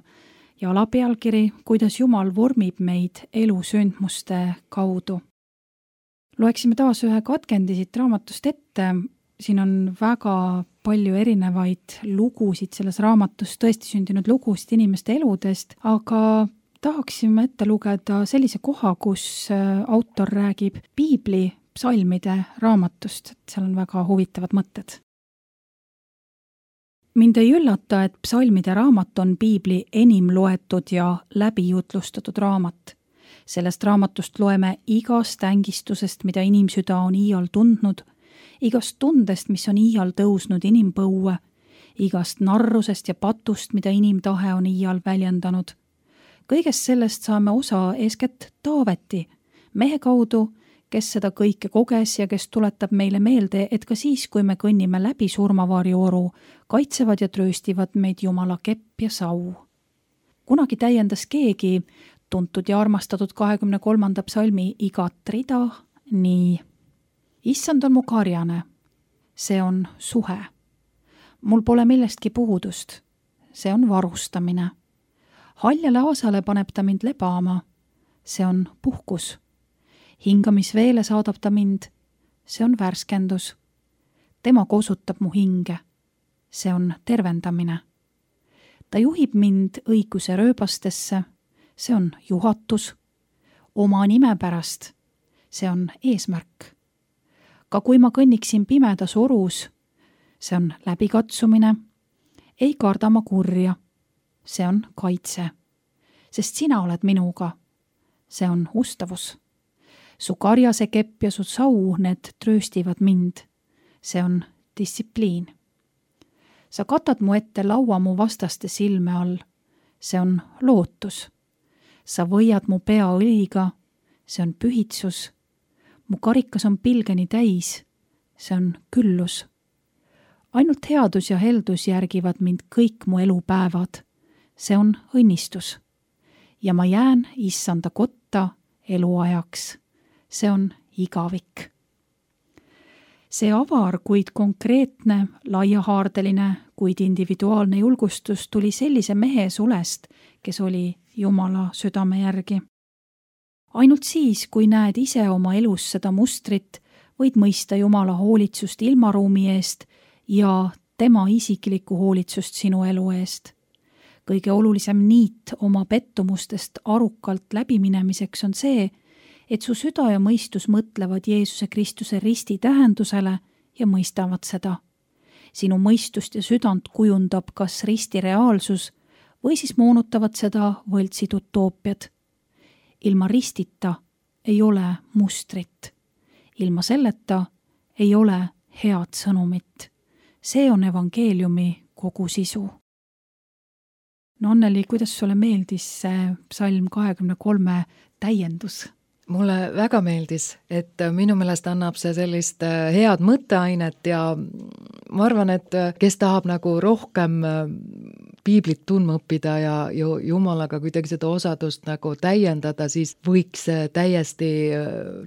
ja alapealkiri Kuidas Jumal vormib meid elusündmuste kaudu. Loeksime taas ühe katkendi siit raamatust ette. Siin on väga palju erinevaid lugusid selles raamatus, tõesti sündinud lugusid inimeste eludest, aga tahaksime ette lugeda sellise koha, kus autor räägib piibli psalmide raamatust, et seal on väga huvitavad mõtted. Mind ei üllata, et psalmide raamat on piibli enim loetud ja läbijutlustatud raamat. Sellest raamatust loeme igast ängistusest, mida inimsüda on iial tundnud, igast tundest, mis on iial tõusnud inimpõue, igast narrusest ja patust, mida inimtahe on iial väljendanud. Kõigest sellest saame osa eeskätt Taaveti, mehe kaudu, kes seda kõike koges ja kes tuletab meile meelde, et ka siis, kui me kõnnime läbi surmavarjooru, kaitsevad ja trööstivad meid Jumala kepp ja sau. Kunagi täiendas keegi tuntud ja armastatud kahekümne kolmanda psalmi igat rida nii. Issand on mu karjane, see on suhe. Mul pole millestki puudust, see on varustamine. Haljale aasale paneb ta mind lebama, see on puhkus. Hingamisveele saadab ta mind, see on värskendus. Tema kosutab mu hinge, see on tervendamine. Ta juhib mind õiguse rööbastesse, see on juhatus. Oma nime pärast, see on eesmärk. Ka kui ma kõnniksin pimedas orus, see on läbikatsumine. Ei karda ma kurja, see on kaitse. Sest sina oled minuga, see on ustavus. Su karjase kepp ja su sau, need trööstivad mind. See on distsipliin. Sa katad mu ette laua mu vastaste silme all. See on lootus. Sa võiad mu pea õliga. See on pühitsus. Mu karikas on pilgeni täis. See on küllus. Ainult headus ja heldus järgivad mind kõik mu elupäevad. See on õnnistus. Ja ma jään issanda kotta eluajaks. See on igavik. See avar, kuid konkreetne, laiahaardeline, kuid individuaalne julgustus tuli sellise mehe sulest, kes oli Jumala südame järgi. Ainult siis, kui näed ise oma elus seda mustrit, võid mõista Jumala hoolitsust ilmaruumi eest ja tema isiklikku hoolitsust sinu elu eest. Kõige olulisem niit oma pettumustest arukalt läbiminemiseks on see, et su süda ja mõistus mõtlevad Jeesuse Kristuse risti tähendusele ja mõistavad seda. Sinu mõistust ja südant kujundab kas risti reaalsus või siis moonutavad seda võltsid utoopiad. Ilma ristita ei ole mustrit. Ilma selleta ei ole head sõnumit. See on evangeeliumi kogu sisu. No Anneli, kuidas sulle meeldis see psalm kahekümne kolme täiendus? Mulle väga meeldis, et minu meelest annab see sellist head mõtteainet ja ma arvan, et kes tahab nagu rohkem piiblit tundma õppida ja Jumalaga kuidagi seda osadust nagu täiendada, siis võiks täiesti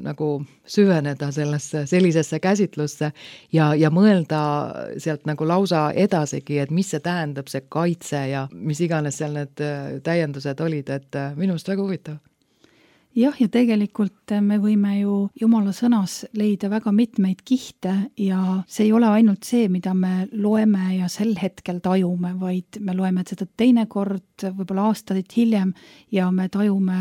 nagu süveneda sellesse, sellisesse käsitlusse ja, ja mõelda sealt nagu lausa edasigi, et mis see tähendab, see kaitse ja mis iganes seal need täiendused olid, et minu meelest väga huvitav. Jah, ja tegelikult me võime ju Jumala sõnas leida väga mitmeid kihte ja see ei ole ainult see, mida me loeme ja sel hetkel tajume, vaid me loeme seda teinekord, võib-olla aastaid hiljem ja me tajume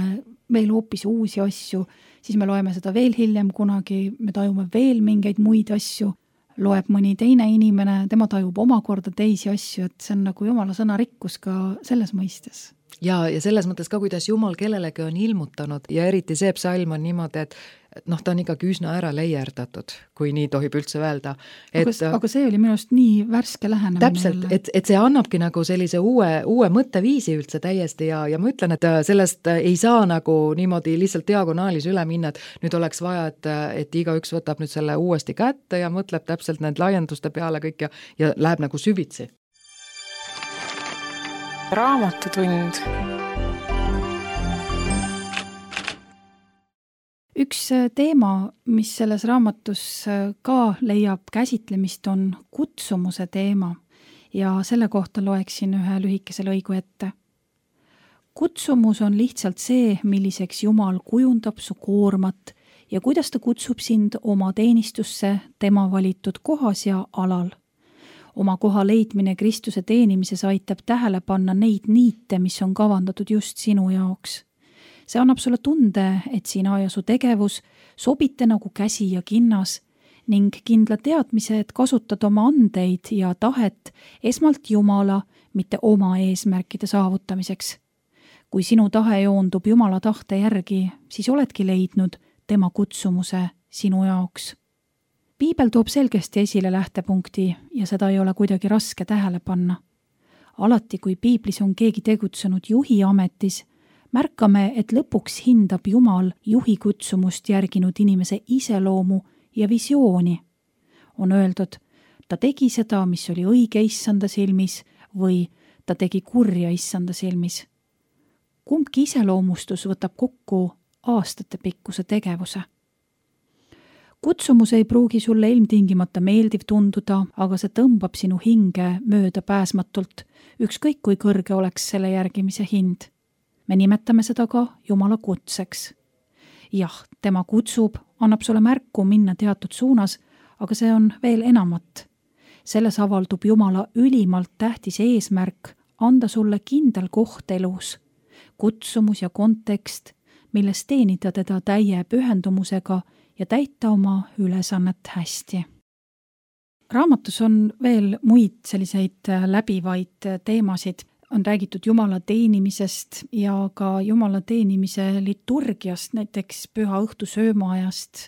veel hoopis uusi asju, siis me loeme seda veel hiljem kunagi, me tajume veel mingeid muid asju, loeb mõni teine inimene, tema tajub omakorda teisi asju, et see on nagu Jumala sõna rikkus ka selles mõistes. Ja, ja selles mõttes ka, kuidas Jumal kellelegi on ilmutanud ja eriti see psalm on niimoodi, et noh, ta on ikkagi üsna ära leierdatud, kui nii tohib üldse öelda. Et, aga, aga see oli minust nii värske lähenemine. Täpselt, et, et see annabki nagu sellise uue, uue mõtteviisi üldse täiesti ja, ja ma ütlen, et sellest ei saa nagu niimoodi lihtsalt diagonaalis üle minna, et nüüd oleks vaja, et, et igaüks võtab nüüd selle uuesti kätte ja mõtleb täpselt need laienduste peale kõik ja, ja läheb nagu süvitsi. Raamatutund. üks teema, mis selles raamatus ka leiab käsitlemist, on kutsumuse teema ja selle kohta loeksin ühe lühikese lõigu ette. Kutsumus on lihtsalt see, milliseks Jumal kujundab su koormat ja kuidas ta kutsub sind oma teenistusse tema valitud kohas ja alal. Oma koha leidmine Kristuse teenimises aitab tähele panna neid niite, mis on kavandatud just sinu jaoks. See annab sulle tunde, et sina ja su tegevus sobite nagu käsi ja kinnas ning kindla teadmise, et kasutad oma andeid ja tahet esmalt Jumala, mitte oma eesmärkide saavutamiseks. Kui sinu tahe joondub Jumala tahte järgi, siis oledki leidnud tema kutsumuse sinu jaoks. Piibel toob selgesti esile lähtepunkti ja seda ei ole kuidagi raske tähele panna. Alati, kui piiblis on keegi tegutsenud juhi ametis, märkame, et lõpuks hindab Jumal juhi kutsumust järginud inimese iseloomu ja visiooni. On öeldud, ta tegi seda, mis oli õige issanda silmis või ta tegi kurja issanda silmis. Kumbki iseloomustus võtab kokku aastate pikkuse tegevuse. Kutsumus ei pruugi sulle ilmtingimata meeldiv tunduda, aga see tõmbab sinu hinge mööda pääsmatult, ükskõik kui kõrge oleks selle järgimise hind. Me nimetame seda ka Jumala kutseks. Jah, tema kutsub, annab sulle märku minna teatud suunas, aga see on veel enamat. Selles avaldub Jumala ülimalt tähtis eesmärk anda sulle kindel koht elus, kutsumus ja kontekst, milles teenida teda täie pühendumusega ja täita oma ülesannet hästi. Raamatus on veel muid selliseid läbivaid teemasid. On räägitud Jumala teenimisest ja ka Jumala teenimise liturgiast, näiteks püha õhtu söömaajast,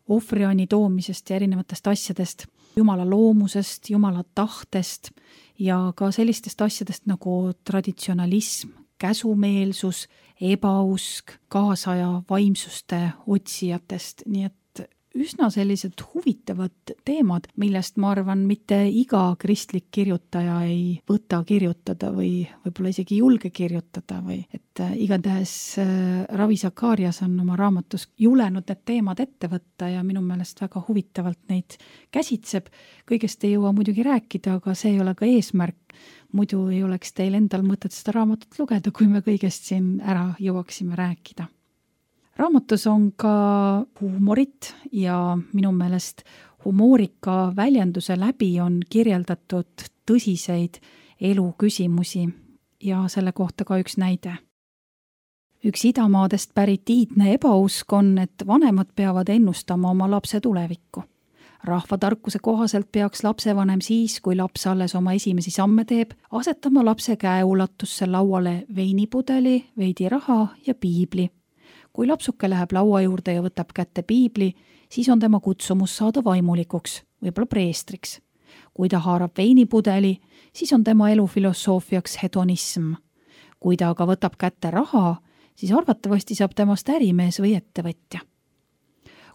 ohvriani toomisest ja erinevatest asjadest, Jumala loomusest, Jumala tahtest ja ka sellistest asjadest nagu traditsionalism, käsumeelsus, ebausk, kaasaja vaimsuste otsijatest, nii et üsna sellised huvitavad teemad, millest ma arvan, mitte iga kristlik kirjutaja ei võta kirjutada või võib-olla isegi julge kirjutada või et igatahes Ravi Zacharias on oma raamatus julenud need teemad ette võtta ja minu meelest väga huvitavalt neid käsitseb. Kõigest ei jõua muidugi rääkida, aga see ei ole ka eesmärk. Muidu ei oleks teil endal mõtet seda raamatut lugeda, kui me kõigest siin ära jõuaksime rääkida. Raamatus on ka huumorit ja minu meelest humoorika väljenduse läbi on kirjeldatud tõsiseid eluküsimusi ja selle kohta ka üks näide. Üks idamaadest pärit iidne ebausk on, et vanemad peavad ennustama oma lapse tulevikku. Rahvatarkuse kohaselt peaks lapsevanem siis, kui laps alles oma esimesi samme teeb, asetama lapse käeulatusse lauale veinipudeli, veidi raha ja piibli. Kui lapsuke läheb laua juurde ja võtab kätte piibli, siis on tema kutsumus saada vaimulikuks, võib-olla preestriks. Kui ta haarab veinipudeli, siis on tema elu filosoofiaks hedonism. Kui ta aga võtab kätte raha, siis arvatavasti saab temast ärimees või ettevõtja.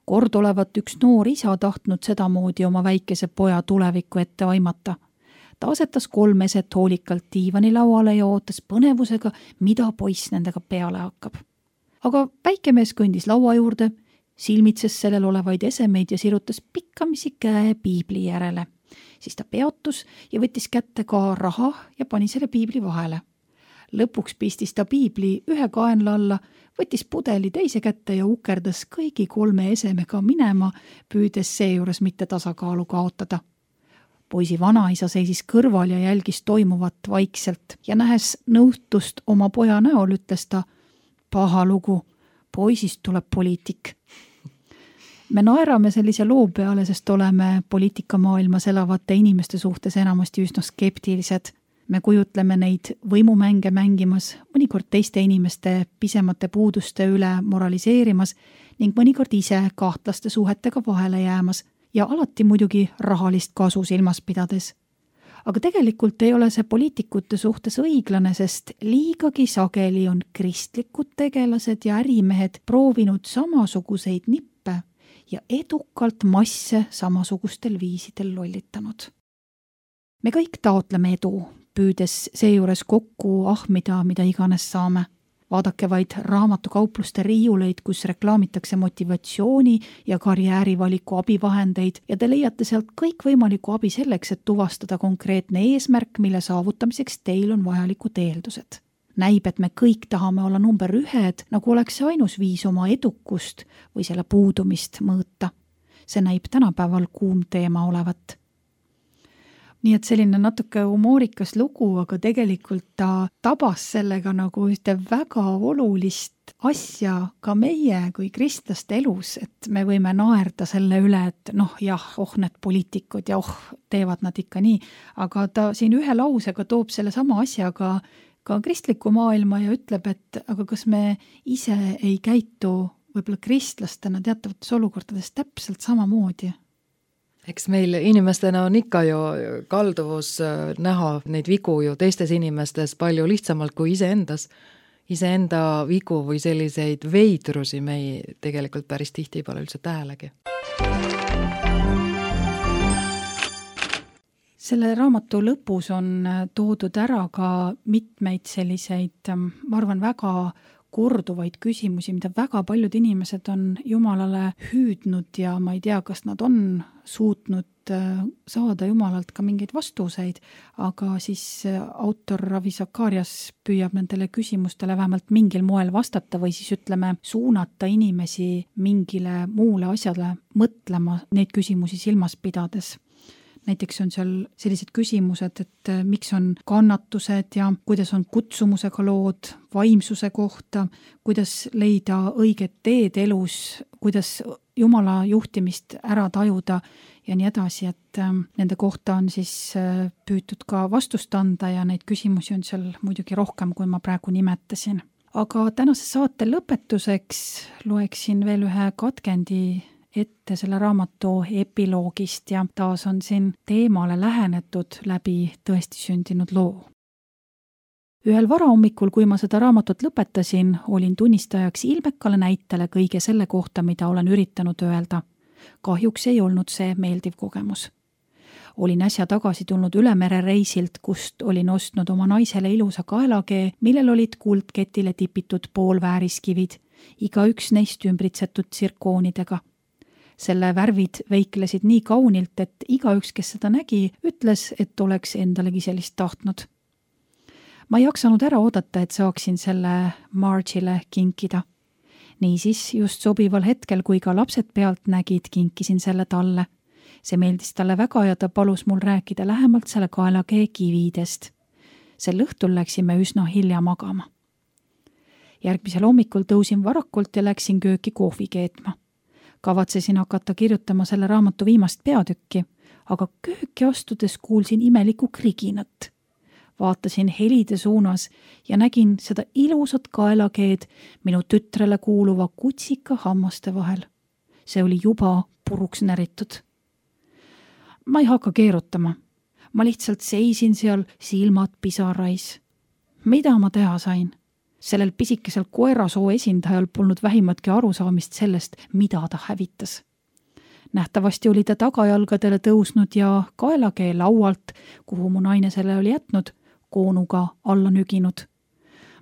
Kord olevat üks noor isa tahtnud sedamoodi oma väikese poja tulevikku ette aimata. Ta asetas kolm eset hoolikalt diivani lauale ja ootas põnevusega, mida poiss nendega peale hakkab. Aga väikemees kõndis laua juurde, silmitses sellel olevaid esemeid ja sirutas pikkamisi käe piibli järele. Siis ta peatus ja võttis kätte ka raha ja pani selle piibli vahele. Lõpuks pistis ta piibli ühe kaenla alla, võttis pudeli teise kätte ja ukerdas kõigi kolme esemega minema, püüdes seejuures mitte tasakaalu kaotada. Poisi vanaisa seisis kõrval ja jälgis toimuvat vaikselt ja nähes nõutust oma poja näol, ütles ta: paha lugu, poisist tuleb poliitik. Me naerame sellise loo peale, sest oleme poliitikamaailmas elavate inimeste suhtes enamasti üsna skeptilised. Me kujutleme neid võimumänge mängimas, mõnikord teiste inimeste pisemate puuduste üle moraliseerimas ning mõnikord ise kahtlaste suhetega vahele jäämas ja alati muidugi rahalist kasu silmas pidades. Aga tegelikult ei ole see poliitikute suhtes õiglane, sest liigagi sageli on kristlikud tegelased ja ärimehed proovinud samasuguseid nippe ja edukalt masse samasugustel viisidel lollitanud. Me kõik taotleme edu, püüdes seejuures kokku ahmida, mida iganes saame. Vaadake vaid raamatukaupluste riiuleid, kus reklaamitakse motivatsiooni ja karjäärivaliku abivahendeid ja te leiate sealt kõikvõimaliku abi selleks, et tuvastada konkreetne eesmärk, mille saavutamiseks teil on vajalikud eeldused. Näib, et me kõik tahame olla number ühed, nagu oleks see ainus viis oma edukust või selle puudumist mõõta. See näib tänapäeval kuum teema olevat. Nii et selline natuke humoorikas lugu, aga tegelikult ta tabas sellega nagu ühte väga olulist asja ka meie kui kristlaste elus, et me võime naerda selle üle, et noh jah, oh need poliitikud ja oh teevad nad ikka nii, aga ta siin ühe lausega toob selle sama asjaga ka kristliku maailma ja ütleb, et aga kas me ise ei käitu võib-olla kristlastena teatavates olukordades täpselt samamoodi? Eks meil inimestena on ikka ju kalduvus näha neid vigu ju teistes inimestes palju lihtsamalt kui iseendas. Iseenda vigu või selliseid veidrusi me ei tegelikult päris tihti pole üldse tähelegi. Selle raamatu lõpus on toodud ära ka mitmeid selliseid, ma arvan, väga korduvaid küsimusi, mida väga paljud inimesed on Jumalale hüüdnud ja ma ei tea, kas nad on suutnud saada Jumalalt ka mingeid vastuseid, aga siis autor Ravi Zacharias püüab nendele küsimustele vähemalt mingil moel vastata või siis ütleme suunata inimesi mingile muule asjale mõtlema neid küsimusi silmas pidades. Näiteks on seal sellised küsimused, et miks on kannatused ja kuidas on kutsumusega lood, vaimsuse kohta, kuidas leida õiget teed elus, kuidas Jumala juhtimist ära tajuda ja nii edasi, et nende kohta on siis püütud ka vastust anda ja neid küsimusi on seal muidugi rohkem, kui ma praegu nimetasin. Aga tänase saate lõpetuseks loeksin veel ühe katkendi ette selle raamatu epiloogist ja taas on siin teemale lähenetud läbi tõesti sündinud loo. Ühel varahommikul, kui ma seda raamatut lõpetasin, olin tunnistajaks ilmekale näitele kõige selle kohta, mida olen üritanud öelda. Kahjuks ei olnud see meeldiv kogemus. Olin äsja tagasi tulnud ülemere reisilt, kust olin ostnud oma naisele ilusa kaelakee, millel olid kuldketile tipitud poolvääriskivid, iga üks neist ümbritsetud tsirkoonidega. Selle värvid veiklesid nii kaunilt, et igaüks, kes seda nägi, ütles, et oleks endalegi sellist tahtnud. Ma ei jaksanud ära oodata, et saaksin selle Marge'ile kinkida. Niisiis, just sobival hetkel, kui ka lapsed pealt nägid, kinkisin selle talle. See meeldis talle väga ja ta palus mul rääkida lähemalt selle kaelakee kividest. Sel õhtul läksime üsna hilja magama. Järgmisel hommikul tõusin varakult ja läksin kööki kohvi keetma. Kavatsesin hakata kirjutama selle raamatu viimast peatükki, aga kööki astudes kuulsin imelikku kriginat. Vaatasin helide suunas ja nägin seda ilusat kaelakeed minu tütrele kuuluva kutsika hammaste vahel. See oli juba puruks näritud. Ma ei hakka keerutama. Ma lihtsalt seisin seal silmad pisarais. Mida ma teha sain? Sellel pisikesel koerasoo esindajal polnud vähimatki arusaamist sellest, mida ta hävitas. Nähtavasti oli ta tagajalgadele tõusnud ja kaelakee laualt, kuhu mu naine selle oli jätnud, koonuga alla nüginud.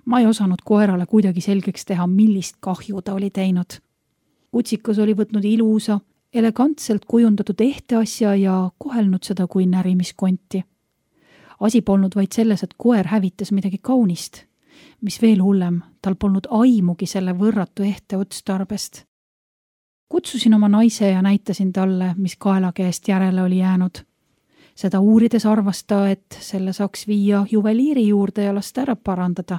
Ma ei osanud koerale kuidagi selgeks teha, millist kahju ta oli teinud. Kutsikas oli võtnud ilusa, elegantselt kujundatud ehte asja ja kohelnud seda kui närimiskonti. Asi polnud vaid selles, et koer hävitas midagi kaunist. Mis veel hullem, tal polnud aimugi selle võrratu ehte otstarbest. Kutsusin oma naise ja näitasin talle, mis kaelakeest järele oli jäänud. Seda uurides arvas ta, et selle saaks viia juveliiri juurde ja lasta ära parandada.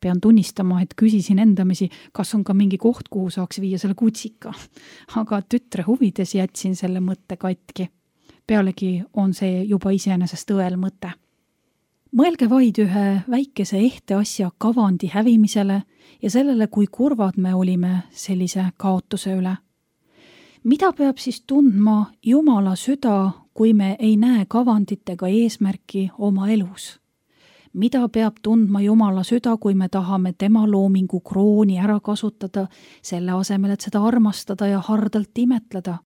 Pean tunnistama, et küsisin endamisi, kas on ka mingi koht, kuhu saaks viia selle kutsika. Aga tütre huvides jätsin selle mõtte katki. Pealegi on see juba iseenesest õel mõte. Mõelge vaid ühe väikese ehte asja kavandi hävimisele ja sellele, kui kurvad me olime sellise kaotuse üle. Mida peab siis tundma Jumala süda, kui me ei näe kavandit ega eesmärki oma elus? Mida peab tundma Jumala süda, kui me tahame tema loomingu krooni ära kasutada, selle asemel, et seda armastada ja hardalt imetleda?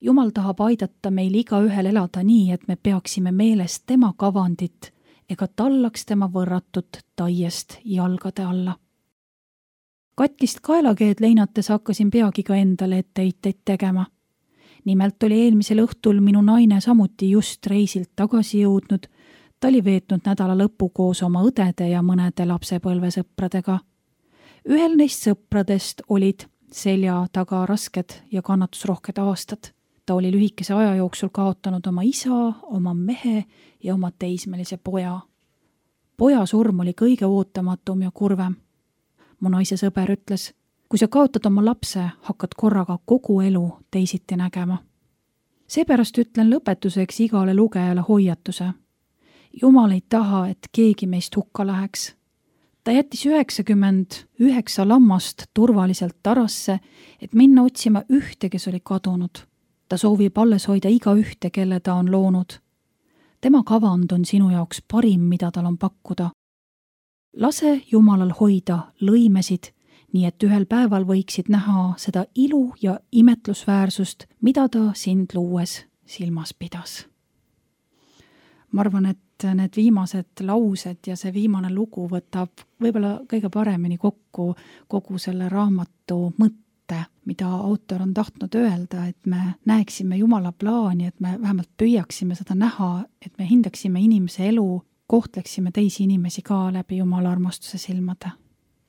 Jumal tahab aidata meil igaühel elada nii, et me peaksime meeles tema kavandit, ega tallaks tema võrratut taiest jalgade alla. Katkist kaelakeed leinates hakkasin peagi ka endale etteheiteid tegema. Nimelt oli eelmisel õhtul minu naine samuti just reisilt tagasi jõudnud. Ta oli veetnud nädala lõppu koos oma õdede ja mõnede lapsepõlvesõpradega. Ühel neist sõpradest olid selja taga rasked ja kannatusrohked aastad. Ta oli lühikese aja jooksul kaotanud oma isa, oma mehe ja oma teismelise poja. Poja surm oli kõige ootamatum ja kurvem. Mu naise sõber ütles, kui sa kaotad oma lapse, hakkad korraga kogu elu teisiti nägema. Seepärast ütlen lõpetuseks igale lugejale hoiatuse. Jumal ei taha, et keegi meist hukka läheks. Ta jättis üheksakümmend üheksa lammast turvaliselt tarasse, et minna otsima ühte, kes oli kadunud. Ta soovib alles hoida iga ühte, kelle ta on loonud. Tema kavand on sinu jaoks parim, mida tal on pakkuda. Lase Jumalal hoida lõimesid, nii et ühel päeval võiksid näha seda ilu ja imetlusväärsust, mida ta sind luues silmas pidas. Ma arvan, et need viimased laused ja see viimane lugu võtab võib-olla kõige paremini kokku kogu selle raamatu mõtte, mida autor on tahtnud öelda, et me näeksime Jumala plaani, et me vähemalt püüaksime seda näha, et me hindaksime inimese elu, kohtleksime teisi inimesi ka läbi Jumala armastuse silmade.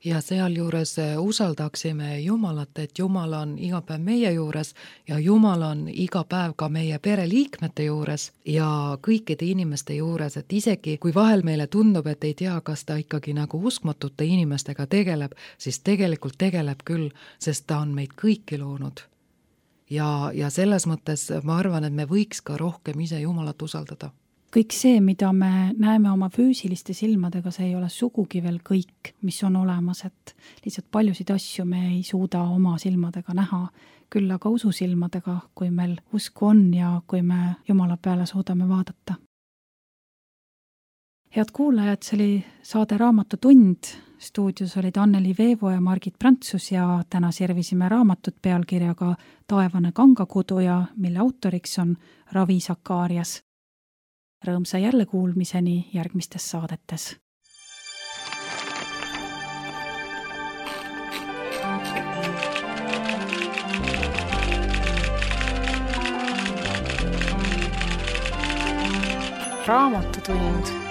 Ja sealjuures usaldaksime Jumalat, et Jumal on iga päev meie juures ja Jumal on iga päev ka meie pereliikmete juures ja kõikide inimeste juures, et isegi kui vahel meile tundub, et ei tea, kas ta ikkagi nagu uskmatute inimestega tegeleb, siis tegelikult tegeleb küll, sest ta on meid kõiki loonud. Ja, ja selles mõttes ma arvan, et me võiks ka rohkem ise Jumalat usaldada. Kõik see, mida me näeme oma füüsiliste silmadega, see ei ole sugugi veel kõik, mis on olemas, et lihtsalt paljusid asju me ei suuda oma silmadega näha, küll aga ususilmadega, kui meil usku on ja kui me Jumala peale suudame vaadata. Head kuulajad, see oli saade Raamatu tund. Stuudios olid Anneli Veevo ja Margit Prantsus ja täna servisime raamatut pealkirjaga Taevane kangakuduja, mille autoriks on Ravi Sakarias. Rõõmsa jälle kuulmiseni järgmistes saadetes. Raamatutund.